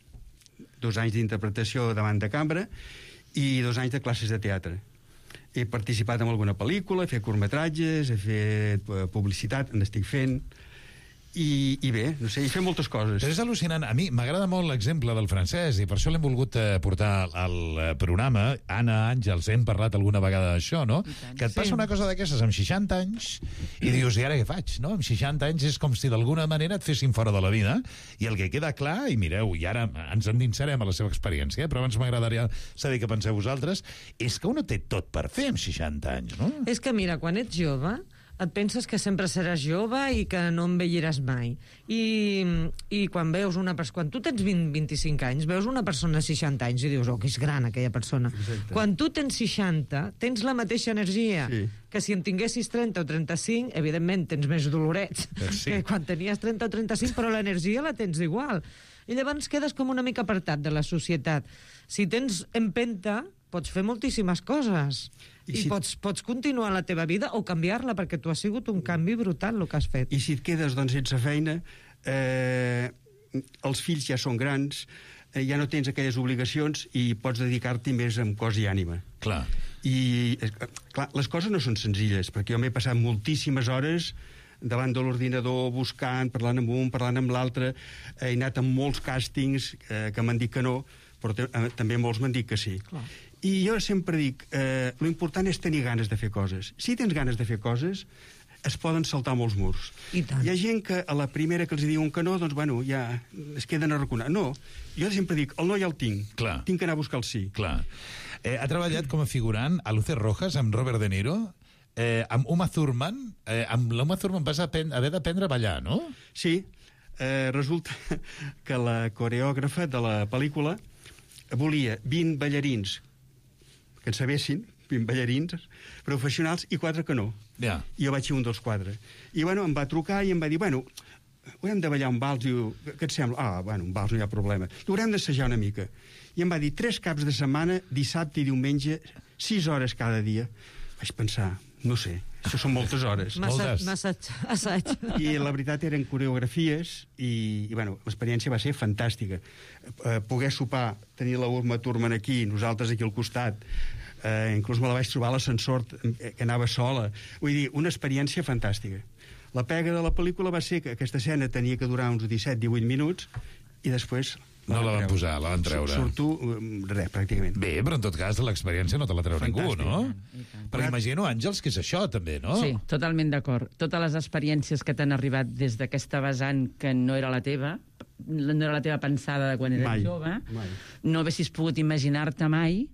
dos anys d'interpretació davant de cambra, i dos anys de classes de teatre. he participat en alguna pel·lícula, he fet curtmetratges, he fet eh, publicitat, n'estic fent... I, i bé, no sé, he fet moltes coses. Però és al·lucinant. A mi m'agrada molt l'exemple del francès i per això l'hem volgut eh, portar al eh, programa. Anna, Àngels, hem parlat alguna vegada d'això, no? Que et passa sí. una cosa d'aquestes amb seixanta anys i dius, i ara què faig, no? Amb seixanta anys és com si d'alguna manera et fessin fora de la vida i el que queda clar, i mireu, i ara ens endinsarem a la seva experiència, però abans m'agradaria saber què penseu vosaltres, és que uno té tot per fer amb seixanta anys, no? És que mira, quan ets jove et penses que sempre seràs jove i que no envelliràs mai. I, i quan veus una persona... Quan tu tens vint, vint-i-cinc anys, veus una persona de seixanta anys i dius, oh, que és gran aquella persona. Exacte. Quan tu tens seixanta, tens la mateixa energia sí. que si en tinguessis trenta o trenta-cinc, evidentment tens més dolorets sí. que quan tenies trenta o trenta-cinc, però l'energia la tens igual. I llavors quedes com una mica apartat de la societat. Si tens empenta, pots fer moltíssimes coses. I, I si... pots, pots continuar la teva vida o canviar-la, perquè tu has sigut un canvi brutal el que has fet. I si et quedes doncs, sense feina, eh, els fills ja són grans, eh, ja no tens aquelles obligacions i pots dedicar-t'hi més amb cos i ànima. Clar. I eh, clar, les coses no són senzilles, perquè jo m'he passat moltíssimes hores davant de l'ordinador, buscant, parlant amb un, parlant amb l'altre, he anat amb molts càstings eh, que m'han dit que no, però eh, també molts m'han dit que sí. Clar. I jo sempre dic, eh, l'important és tenir ganes de fer coses. Si tens ganes de fer coses, es poden saltar molts murs. I tant. Hi ha gent que a la primera que els diuen que no, doncs, bueno, ja es queden a raconar. No, jo sempre dic, el no ja el tinc. Clar. Tinc que anar a buscar el sí. Clar. Eh, ha treballat com a figurant a Luces Rojas amb Robert De Niro, eh, amb Uma Thurman. Eh, amb l'Uma Thurman vas haver d'aprendre a ballar, no? Sí. Eh, resulta que la coreògrafa de la pel·lícula volia vint ballarins que en sabessin, vint ballarins professionals i quatre que no. Yeah. I jo vaig ser un dels quatre. I, bueno, em va trucar i em va dir, bueno, haurem de ballar un vals. Diu, què et sembla? Ah, bueno, un vals no hi ha problema. I haurem d'assajar una mica. I em va dir, tres caps de setmana, dissabte i diumenge, sis hores cada dia. Vaig pensar, no sé, això són moltes hores. Massa, massa assaig. I la veritat eren coreografies i, i bueno, l'experiència va ser fantàstica. Eh, poder sopar, tenir la Uma Thurman aquí, nosaltres aquí al costat, eh, inclús me la vaig trobar a l'ascensor que anava sola. Vull dir, una experiència fantàstica. La pega de la pel·lícula va ser que aquesta escena tenia que durar uns disset divuit minuts i després... No la van posar, la van treure. Surto, res, pràcticament. Bé, però en tot cas l'experiència no te la treu ningú, no? Perquè imagino, Àngels, que és això, també, no? Sí, totalment d'acord. Totes les experiències que t'han arribat des d'aquesta vessant que no era la teva, no era la teva pensada de quan eres mai, jove, mai. No haguessis pogut imaginar-te mai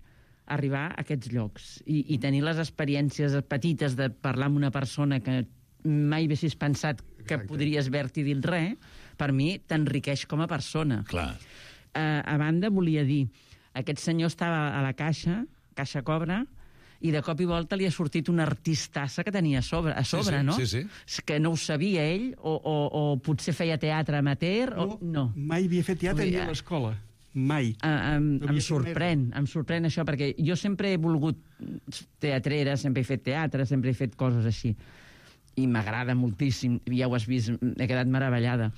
arribar a aquests llocs i, i tenir les experiències petites de parlar amb una persona que mai haguessis pensat que Exacte. Podries haver-t'hi dit res, per mi t'enriqueix com a persona. Clar. Uh, a banda, volia dir, aquest senyor estava a la caixa, caixa cobra, i de cop i volta li ha sortit una artistassa que tenia a sobre, a sobre sí, sí, no? Sí, sí. Que no ho sabia ell, o, o, o potser feia teatre amateur, no, o no. Mai havia fet teatre ni a l'escola. Mai. Uh, um, no em sorprèn, em sorprèn això, perquè jo sempre he volgut teatrera, sempre he fet teatre, sempre he fet coses així. I m'agrada moltíssim, ja ho has vist, he quedat meravellada.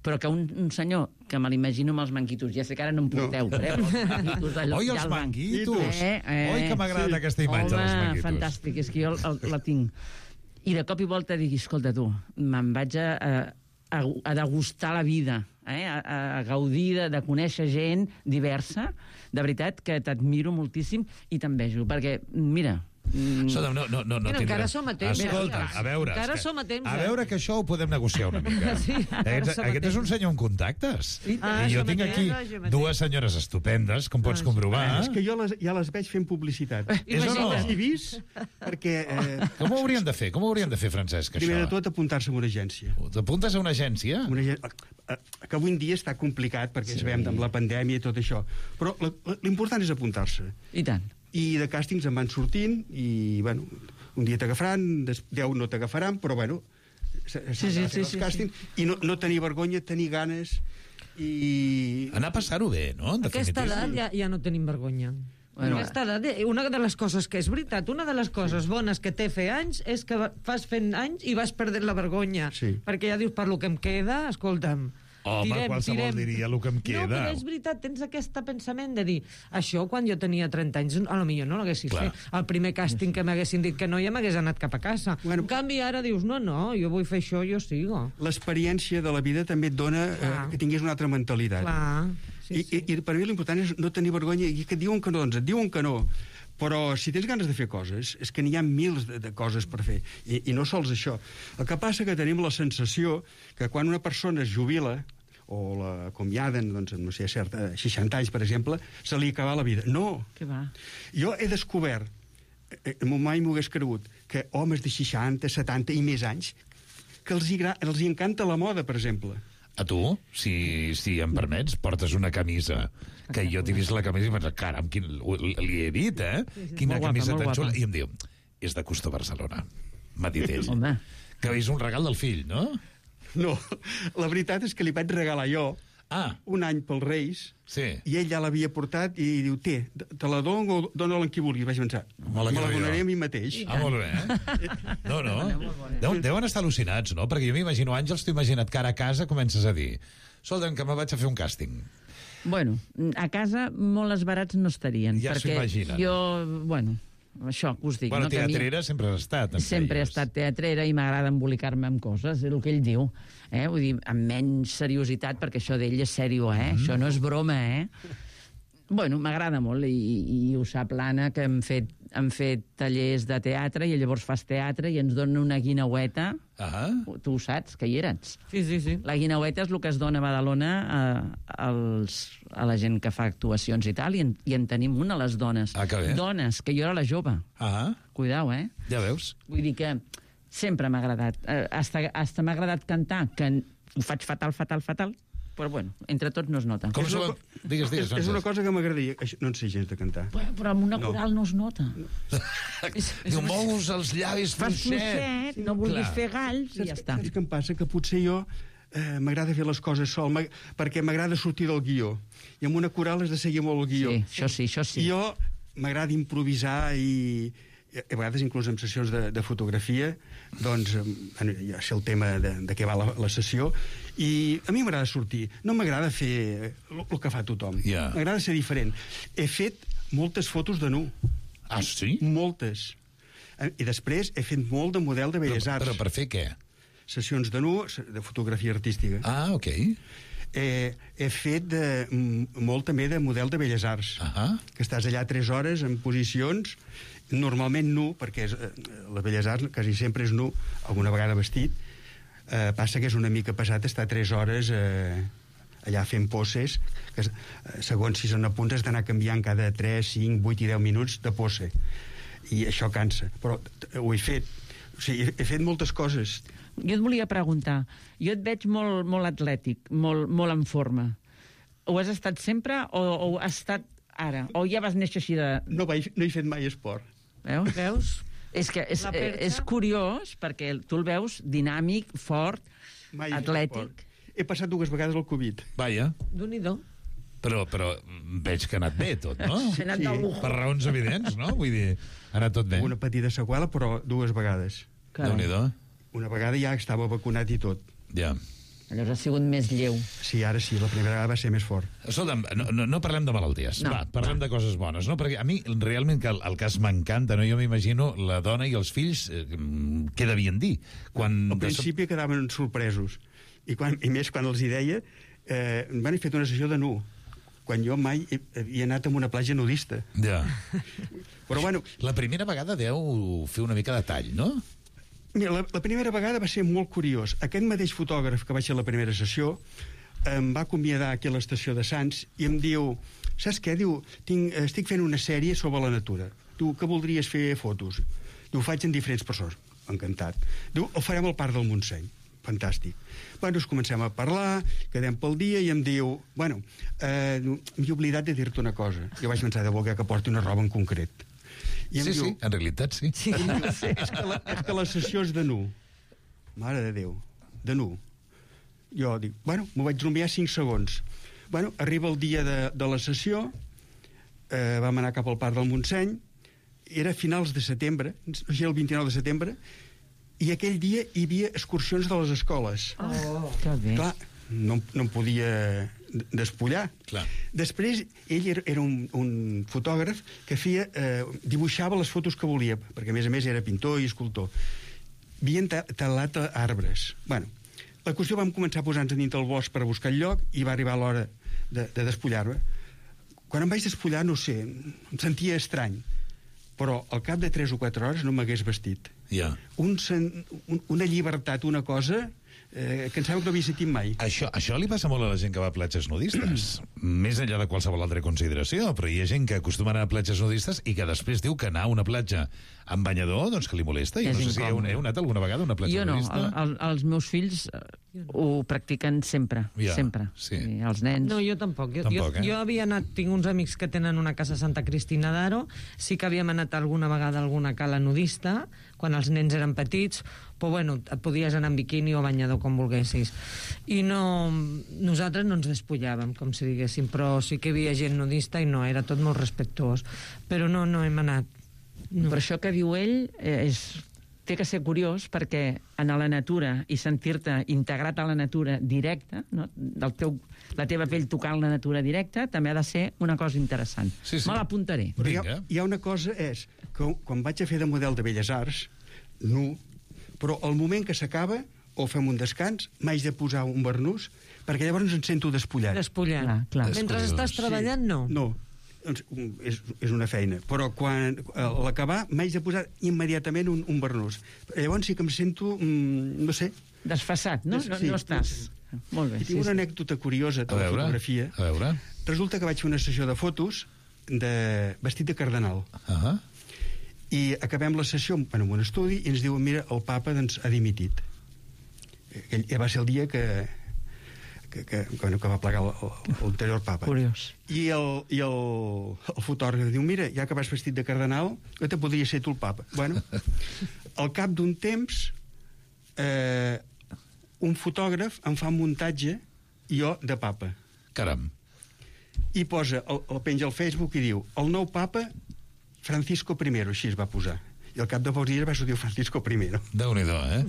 Però que un, un senyor, que me l'imagino amb els manquitos, ja sé que ara no em porteu, no. però els manquitos... Allò, Oi, els manquitos! Eh, eh, Oi, que m'agrada sí. aquesta imatge Home, dels manquitos. Fantàstic, és que jo el, la tinc. I de cop i volta digui, escolta tu, me'n vaig a, a, a degustar la vida, eh? a, a gaudir de, de conèixer gent diversa. De veritat que t'admiro moltíssim i t'envejo, perquè, mira... Mm. So, no, no, no, no Mira, encara som a temps. Escolta, a veure, encara som a temps. A veure que això ho podem negociar una mica. Sí, aquest, aquest és un senyor amb contactes. Sí, ah, I jo tinc aquí no, dues senyores estupendes, com pots ah, comprovar. És que jo les, ja les veig fent publicitat. És o no? He vist, perquè... Eh, com ho haurien de fer? Com ho haurien de fer, Francesc, això? Primer de tot, apuntar-se a una agència. T'apuntes a una agència? Una agència que avui en dia està complicat, perquè sí. Sabem amb la pandèmia i tot això. Però l'important és apuntar-se. I tant. I de càstings en van sortint i, bueno, un dia t'agafaran, deu no t'agafaran, però, bueno, sí, sí, sí, sí, càstings, sí. I no, no tenir vergonya, tenir ganes i... Anar a passar-ho bé, no? En aquesta edat ja, ja no tenim vergonya. Bueno, aquesta edat, una de les coses que és veritat, una de les coses bones que té fer anys és que fas fent anys i vas perdent la vergonya. Sí. Perquè ja dius, per lo que em queda, escolta'm, Home, tirem, qualsevol tirem. diria el que em queda. No, però és veritat, tens aquest pensament de dir això quan jo tenia trenta anys, a lo millor no l'haguessis fet. El primer càsting que m'haguessin dit que no, ja m'hagués anat cap a casa. Bueno, en canvi, ara dius, no, no, jo vull fer això, jo sigo. L'experiència de la vida també et dona eh, que tinguis una altra mentalitat. Clar. Sí, I, sí. I, I per mi l'important és no tenir vergonya, i que et diuen que no, doncs et diuen que no. Però si tens ganes de fer coses, és que n'hi ha mils de, de coses per fer, I, i no sols això. El que passa que tenim la sensació que quan una persona es jubila, o l'acomiaden, doncs, no sé, certa, seixanta anys, per exemple, se li acaba la vida. No. Què va? Jo he descobert, eh, mai m'ho hagués cregut, que homes de seixanta, setanta i més anys, que els hi, els hi encanta la moda, per exemple. A tu, si, si em permets, portes una camisa que jo t'he vist la camisa i penso, caram, quin, li he dit, eh? Quina Molt camisa guapa, tan molt xula. guapa. I em diu, és de Custo Barcelona. M'ha dit ell. Home. Que és un regal del fill, no? No, la veritat és que li vaig regalar jo ah. un any pels Reis, sí. i ell ja l'havia portat i diu, té, te la dono o dona-la en qui vulgui. Vaig pensar, me la donaré a mi mateix. Ah, molt bé, eh? No, no. Deuen, deuen estar al·lucinats, no? Perquè jo m'imagino, Àngels, t'ho imagina't que ara a casa comences a dir, escolta'm, que me vaig a fer un càsting. Bueno, a casa molt esbarats no estarien. Ja s'ho perquè imaginen. Jo, bueno, això que us dic. Bueno, no, teatrera mi... sempre has estat. Sempre he estat teatrera i m'agrada embolicar-me amb coses, és el que ell diu. Eh? Vull dir, amb menys seriositat, perquè això d'ell és sèrio, eh? Mm. Això no és broma, eh? Bueno, m'agrada molt, i, i ho sap l'Anna, que hem fet, hem fet tallers de teatre, i llavors fas teatre i ens dona una guineueta. Ah. Tu ho saps, que hi eres. Sí, sí, sí. La guineueta és el que es dona a Badalona a, als, a la gent que fa actuacions i tal, i en, i en tenim una, les dones. Ah, que bé. Dones, que jo era la jove. Ah. Cuidao, eh? Ja veus. Vull dir que sempre m'ha agradat. Eh, hasta, hasta m'ha agradat cantar, que ho faig fatal, fatal, fatal, però bueno, entre tots no es nota. Com és, una, digues, digues, és, és una cosa que m'agradaria. No en sé gens de cantar. Però, però amb una no. coral no es nota. No. Diu, mous els llavis fas fluixet, no vulguis fer galls i ja està. Saps què em passa? Que potser jo eh, m'agrada fer les coses sol, perquè m'agrada sortir del guió. I amb una coral has de seguir molt el guió. Sí, això sí, això sí. I jo m'agrada improvisar i a vegades inclús en sessions de, de fotografia, doncs ja sé el tema de, de què va la, la sessió, i a mi m'agrada sortir, no m'agrada fer el, el que fa tothom, yeah. M'agrada ser diferent. He fet moltes fotos de nu. Ah, sí? Moltes. I després he fet molt de model de Belles Arts. Però, però per fer què? Sessions de nu, de fotografia artística. Ah, ok. Eh, he fet de, molt també de model de Belles Arts, uh -huh. que estàs allà tres hores en posicions, normalment nu, perquè és, eh, les Belles Arts quasi sempre és nu, alguna vegada vestit. Eh, passa que és una mica pesat estar tres hores eh, allà fent poses, que eh, segons si són a punts has d'anar canviant cada tres, cinc, vuit i deu minuts de pose, i això cansa, però ho he fet. O sigui, he fet moltes coses. Jo et volia preguntar, jo et veig molt, molt atlètic, molt, molt en forma. Ho has estat sempre o, o has estat ara? O ja vas néixer així de... No, vaig, no he fet mai esport. Veus? Veus? És que és, és curiós, perquè tu el veus dinàmic, fort, mai atlètic. He passat dues vegades el Covid. Vaja. Déu-n'hi-do. Però, però veig que ha anat bé tot, no? Sí, anat de lujo. Per raons evidents, no? Vull dir, ha anat tot bé. Una petita seqüela, però dues vegades. Déu-n'hi-do. Una vegada ja estava vacunat i tot. Ja. Llavors ha sigut més lleu. Sí, ara sí, la primera vegada va ser més fort. Escolta'm, no, no, no parlem de malalties, no, va, parlem no. de coses bones, no? Perquè a mi realment que el, el cas m'encanta, no? Jo m'imagino la dona i els fills, eh, què devien dir? Quan Al principi quedaven sorpresos, i, quan, i més quan els hi deia, eh, m'han fet una sessió de nu, quan jo mai he, havia anat a una platja nudista. Ja. Però bueno... La primera vegada deu fer una mica de tall, no? Mira, la, la primera vegada va ser molt curiós. Aquest mateix fotògraf que vaig fer la primera sessió em va acomiadar aquí a l'estació de Sants i em diu, saps què? Diu, tinc, estic fent una sèrie sobre la natura. Diu, que voldries fer fotos? Diu, ho faig en diferents persones. Encantat. Diu, ho farem al Parc del Montseny. Fantàstic. Bueno, ens comencem a parlar, quedem pel dia i em diu, bueno, eh, m'he oblidat de dir-te una cosa. Jo vaig pensar de voler que porti una roba en concret. I sí, diu, sí, en realitat sí. sí. Diu, és, que la, és que la sessió és de nu. Mare de Déu, de nu. Jo dic, bueno, m'ho vaig rumiar cinc segons. Bueno, arriba el dia de, de la sessió, eh, vam anar cap al Parc del Montseny, era a finals de setembre, era el vint-i-nou de setembre, i aquell dia hi havia excursions de les escoles. Oh, que bé. Clar, no, no em podia despullar. Clar. Després, ell era, era un, un fotògraf que feia, eh, dibuixava les fotos que volia, perquè a més a més era pintor i escultor. Havien ta talat arbres. Bueno, la qüestió vam començar a posar-nos dintre el bosc per a buscar el lloc i va arribar l'hora de, de despullar-me. Quan em vaig despullar, no sé, em sentia estrany, però al cap de tres o quatre hores no m'hagués vestit. Ja. Un, un, una llibertat, una cosa... Eh, que em sembla que no havia sentit mai. Això, això li passa molt a la gent que va a platges nudistes. Més enllà de qualsevol altra consideració, però hi ha gent que acostuma a anar a platges nudistes i que després diu que anar a una platja amb banyador, doncs que li molesta. Jo no sé si heu, heu anat alguna vegada a una platja jo no, nudista. Jo no, el, els meus fills ho practiquen sempre, ja, sempre. Sí. I els nens... No, jo tampoc. Jo, tampoc, jo, eh? jo havia anat, tinc uns amics que tenen una casa a Santa Cristina d'Aro, sí que havíem anat alguna vegada a alguna cala nudista, quan els nens eren petits, però bueno, et podies anar en biquini o banyador com volguessis. I no, nosaltres no ens despullàvem, com si diguéssim, però sí que hi havia gent nudista i no, era tot molt respectuós. Però no, no hem anat. No. Per això que diu ell eh, és, té que ser curiós, perquè en la natura i sentir-te integrat a la natura directa, no? Del teu, la teva pell tocant la natura directa, també ha de ser una cosa interessant. Sí, sí. Me l'apuntaré. Però hi ha, hi ha una cosa, és que quan vaig a fer de model de Belles Arts, nu, però al moment que s'acaba, o fem un descans, m'haig de posar un barnús, perquè llavors em sento despullat. Despullant. Clar, clar. Mentre estàs treballant, no. No, doncs, és, és una feina. Però quan a l'acabar m'haig de posar immediatament un, un barnús. Llavors sí que em sento, mm, no sé... Desfassat, no? No, sí, no estàs... Molt bé. I tinc sí, una sí. anècdota curiosa de A la veure, fotografia. a veure. Resulta que vaig fer una sessió de fotos de vestit de cardenal. Uh -huh. I acabem la sessió en un estudi i ens diuen, mira, el papa doncs, ha dimitit. Aquell va ser el dia que, que, que, que va plegar l'anterior papa. Curiós. I, el, i el, el fotògraf diu, mira, ja que vas vestit de cardenal, que te podria ser tu el papa. Bueno, al cap d'un temps, eh, un fotògraf em fa un muntatge i jo de papa. Caram. I posa, el, el penja al Facebook i diu, el nou papa Francisco primero, així es va posar. I al cap de pocs dies va sortir Francisco primero. Déu-n'hi-do, eh?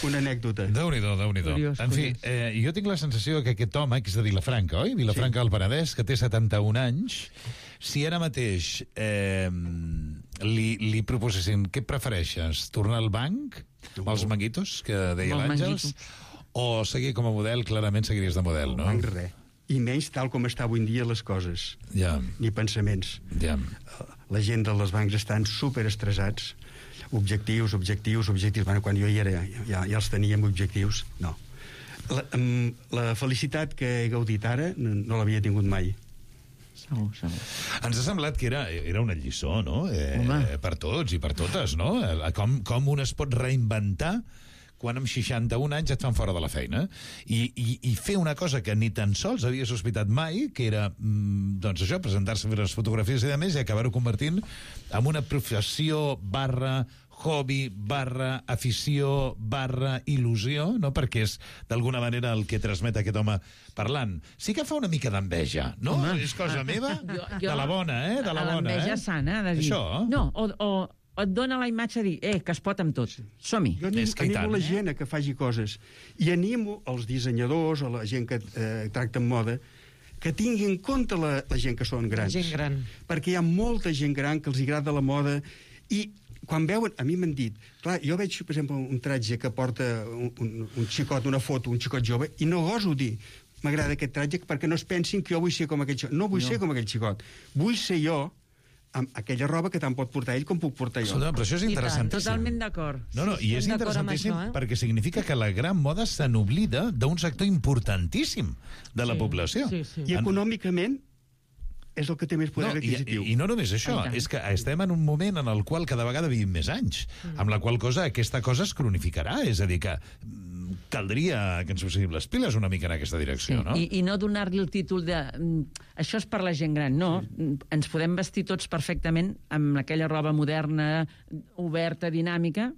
Una anècdota. Déu-n'hi-do, Déu-n'hi-do. Curiós, En fi, eh, jo tinc la sensació que aquest home, que és de Vilafranca, oi? Vilafranca del Penedès, que té setanta-un anys, si ara mateix eh, li, li proposessin què prefereixes, tornar al banc, amb els manguitos, que deia l'Àngels, o seguir com a model, clarament seguiries de model, no? Banc res. I menys tal com està avui en dia les coses. Ja. Ni pensaments. Ja. La gent dels bancs estan superestressats. Objectius, objectius, objectius. Bueno, quan jo hi era, ja, ja els teníem objectius. No. La, la felicitat que he gaudit ara no, no l'havia tingut mai. Segur, segur. Ens ha semblat que era, era una lliçó, no? Eh, per tots i per totes, no? Com, com un es pot reinventar quan amb seixanta-un anys et fan fora de la feina i, i, i fer una cosa que ni tan sols havia sospitat mai, que era doncs això, presentar-se a fer les fotografies i demés, i acabar-ho convertint en una professió barra hobby, barra afició, barra il·lusió, no? Perquè és d'alguna manera el que transmet aquest home parlant. Sí que fa una mica d'enveja, no? Home. És cosa meva? Jo, jo, de la bona, eh? De la bona, l'enveja eh? sana, de dir... Això? No, o, o, o et dona la imatge de dir, eh, que es pot amb tot. Som-hi. Jo animo, animo la gent a que faci coses. I animo els dissenyadors o la gent que eh, tracta amb moda que tingui en compte la, la gent que són grans. La gent gran. Perquè hi ha molta gent gran que els agrada la moda i quan veuen, a mi m'han dit, clar, jo veig, per exemple, un tratge que porta un, un, un xicot, una foto, un xicot jove, i no goso dir, m'agrada aquest tratge perquè no es pensin que jo vull ser com aquell xicot. No vull no. ser com aquell xicot. Vull ser jo amb aquella roba que tant pot portar ell com puc portar jo. Escolta, però això és interessantíssim. Totalment d'acord. No, no, i és interessantíssim això, eh? perquè significa que la gran moda se n'oblida d'un sector importantíssim de la Sí, població. sí, sí. I econòmicament és el que té més poder No, i, adquisitiu. I no només això, és que estem en un moment en el qual cada vegada vivim més anys, amb la qual cosa aquesta cosa es cronificarà, és a dir, que mm, caldria que ens poséssim les piles una mica en aquesta direcció, Sí. no? I, I no donar-li el títol de... mm, això és per la gent gran, no. Sí. Ens podem vestir tots perfectament amb aquella roba moderna, oberta, dinàmica,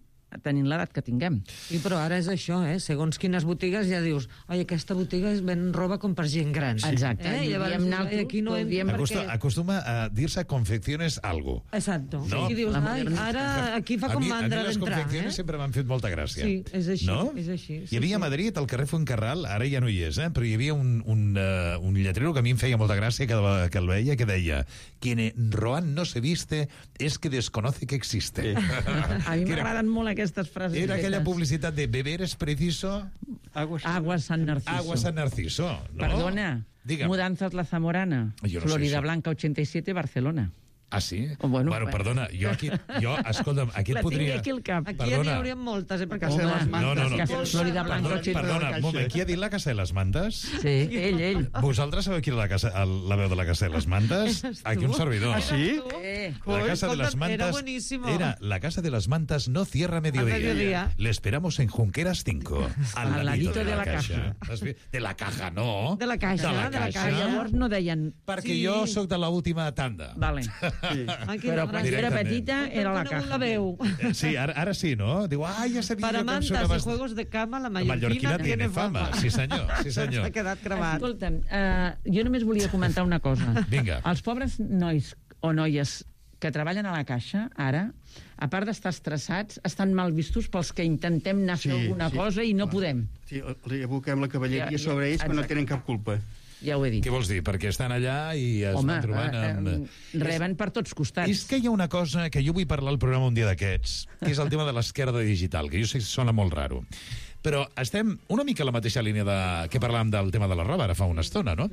tenint l'edat que tinguem. I però ara és això, eh? Segons quines botigues ja dius, oi, aquesta botiga es ven roba com per gent gran. Sí. Exacte. Eh? I llavors, diem naltros, aquí no diem hem... Acostuma, perquè... acostuma a dir-se confecciones algo. Exacto. No? I dius, ai, ara aquí fa com mandra d'entrar. A mi les d'entrar. confecciones Eh? sempre m'han fet molta gràcia. Sí, és així, no? és així. Sí, Hi havia a sí. Madrid, al carrer Fuencarral, ara ja no hi és, eh? però hi havia un, un, uh, un lletrero que a mi em feia molta gràcia que, que el veia, que deia quien en Roan no se viste es que desconoce que existe. A mi m'agraden molt aquestes frases. Era aquella fetes. publicitat de beber es preciso... Aguas, Aguas San Narciso. Agua San Narciso. ¿no? Perdona, Digue'm. Mudanzas La Zamorana, Jo no sé Florida això. Blanca ochenta y siete, Barcelona. Ah, sí? Oh, bueno, bueno, bueno. perdona, jo aquí... Jo, escolta'm, aquí La et podria... tinc aquí al cap. Aquí ja n'hi haurien moltes, eh? Perquè Home, de les mantes. No, no, no. Casa Florida Blanca Perdona, ochenta. perdona, un moment, qui ha dit la Casa de les Mantes? Sí, ell, ell. Vosaltres sabeu qui era la, casa, el, la veu de la Casa de les Mantes? Aquí un servidor. Ah, sí? Eh. La Casa de las Mantas Era buenísimo. era la Casa de las Mantas no cierra a mediodía. A mediodía. Le esperamos en Junqueras cinco. Al, Al ladito ladito de, de la, la caja. Has vist? De la caja, no. De la caixa, de la de la caixa. caixa. Llavors no deien... Perquè Sí. jo sóc de l'última tanda. Vale. Sí. Ai, quina Però quan gràcia. jo era Directament. petita era la Conegut caja. la veu. Eh, Sí, ara, ara sí, no? Diu, ah, ja sabia Para jo que em mantas sonava... y juegos de cama, la La mallorquina, mallorquina tiene fama. Sí, senyor, sí, senyor. S'ha quedat gravat. Escolta'm, uh, jo només volia comentar una cosa. Vinga. Els pobres nois o noies que treballen a la caixa, ara, a part d'estar estressats, estan mal vistos pels que intentem anar a fer Sí, alguna sí, cosa i no clar. podem. Sí, li aboquem la cavalleria Ja, ja, sobre ells, però no exacte. tenen cap culpa. Ja ho he dit. Què vols dir? Perquè estan allà i es Home, van trobant amb... eh, eh, reben per tots costats. És que hi ha una cosa que jo vull parlar al programa un dia d'aquests, que és el tema de l'esquerda digital, que jo sé que sona molt raro. Però estem una mica a la mateixa línia de, que parlàvem del tema de la roba ara fa una estona, no?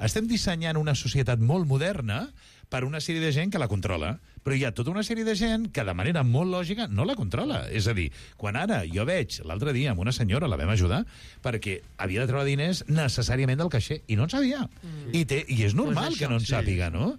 Estem dissenyant una societat molt moderna per una sèrie de gent que la controla, però hi ha tota una sèrie de gent que de manera molt lògica no la controla. És a dir, quan ara jo veig, l'altre dia amb una senyora, la vam ajudar, perquè havia de treure diners necessàriament del caixer, i no en sabia. Mm. I, té, I és normal Pues que això, no en sí. sàpiga, no?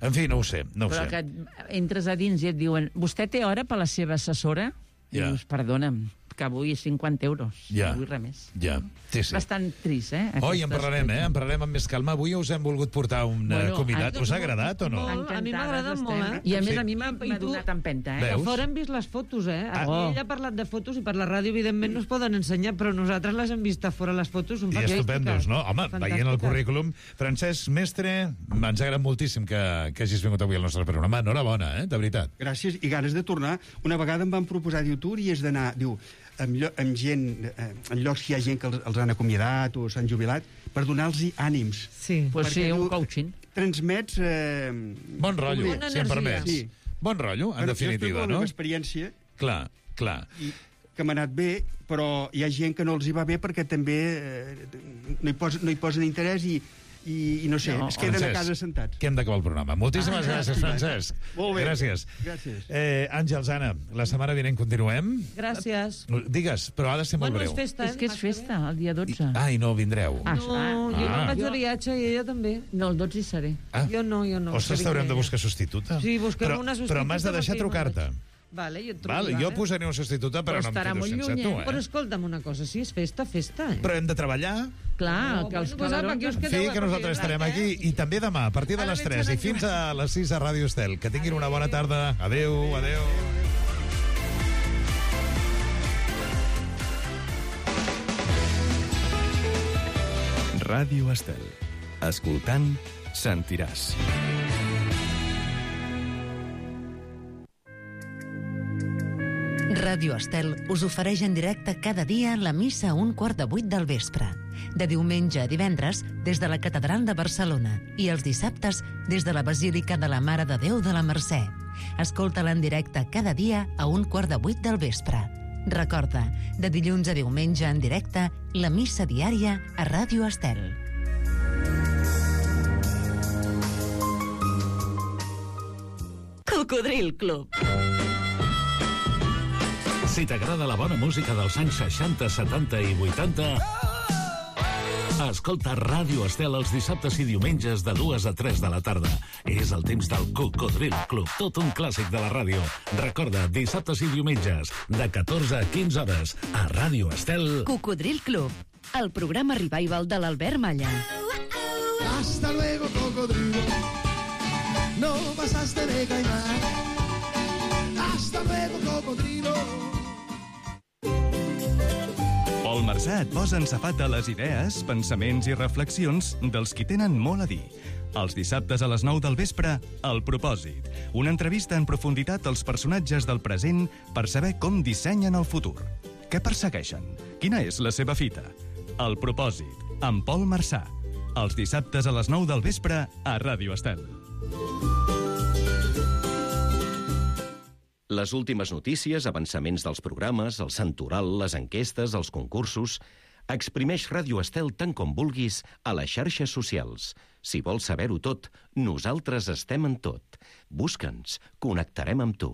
En fi, no ho sé, no ho Però sé. que entres a dins i et diuen vostè té hora per la seva assessora? Ja. Dius, perdona'm, que vull cinquanta euros. Ja. No vull res més. Ja, sí, sí. Bastant trist, eh? Oi, en aquest parlarem, eh? aspecte. En parlarem amb més calma. Avui us hem volgut portar un Bueno, bueno, convidat. a- Us ha agradat o no? Molt, a mi m'agrada Encantades molt, eh? estem. I a més Sí. a mi m'ha I m'ha tu- donat empenta, eh? Veus? A fora hem vist les fotos, eh? Aquí Oh. ella ha parlat de fotos i per la ràdio, evidentment, no es poden ensenyar, però nosaltres les hem vist a fora, les fotos són I fantàstiques. estupendos, no? Home, veient el Fantàstiques. currículum... Francesc Mestre, ens ha agradat moltíssim que, que hagis vingut avui al nostre programa. Enhorabona, eh? De veritat. Gràcies, i ganes de tornar. Una vegada em van proposar, diu, tu hauries d'anar, diu, amb, llo amb gent, eh, en llocs que hi ha gent que els, els han acomiadat o s'han jubilat, per donar-los ànims. Sí. Pues sí, Perquè, un diu, coaching. Transmets... Eh, Bon rotllo, Bona si em energia. permets. Sí. Bon rotllo, en Bueno, definitiva, jo estic no? amb experiència Clar, clar. i que m'ha anat bé, però hi ha gent que no els hi va bé perquè també eh, no, hi posen, no hi posen interès i, i, i no sé, No, es queden Francesc, a casa sentats. que hem d'acabar el programa. Moltíssimes Ah, gràcies, Francesc. Molt bé. Gràcies. Gràcies. Eh, Àngels, Anna, la setmana vinent continuem. Gràcies. Digues, però ha de ser molt Bueno, breu. és festa, eh? És que és festa, el dia dotze. Ah, i no vindreu. Ah, No, jo me'n Ah. vaig de viatge i ella també. No, el dotze hi seré. Ah. Jo no, jo no. Ostres, que t'haurem de vingui buscar substituta. Sí, busquem però, una substituta Però m'has de deixar perquè jo me'n trucar-te. ella. Vale, jo et truco, Val, vale. jo posaré una substituta, però, Però no em estarà quedo molt sense lluny, tu, eh? eh? Però escolta'm una cosa, si és festa, festa, eh? Però hem de treballar. Clar, No, que els bueno, pues, apa, calarons... que us En quedeu fi, a que nosaltres partir de estarem l'any, aquí. I també demà, a partir de Ara les veig tres i la fins a les sis a Ràdio Estel. Que tinguin una bona tarda. Adéu, adéu. Ràdio Estel. Escoltant, sentiràs. Ràdio Estel us ofereix en directe cada dia la missa a un quart de vuit del vespre. De diumenge a divendres, des de la Catedral de Barcelona, i els dissabtes, des de la Basílica de la Mare de Déu de la Mercè. Escolta-la en directe cada dia a un quart de vuit del vespre. Recorda, de dilluns a diumenge en directe, la missa diària a Ràdio Estel. Cocodril Club. Si t'agrada la bona música dels anys seixanta, setanta i vuitanta, escolta Ràdio Estel els dissabtes i diumenges de dues a tres de la tarda. És el temps del Cocodril Club, tot un clàssic de la ràdio. Recorda, dissabtes i diumenges, de catorze a quinze hores, a Ràdio Estel. Cocodril Club, el programa revival de l'Albert Malla. Hasta luego, cocodrilo. No pasaste de caimán. Hasta luego, cocodrilo. Pol Marsà et posa en safata les idees, pensaments i reflexions dels qui tenen molt a dir. Els dissabtes a les nou del vespre, El Propòsit. Una entrevista en profunditat als personatges del present per saber com dissenyen el futur. Què persegueixen? Quina és la seva fita? El Propòsit, amb Pol Marsà. Els dissabtes a les nou del vespre a Ràdio Estel. Les últimes notícies, avançaments dels programes, el santoral, les enquestes, els concursos... Exprimeix Ràdio Estel tant com vulguis a les xarxes socials. Si vols saber-ho tot, nosaltres estem en tot. Busca'ns, connectarem amb tu.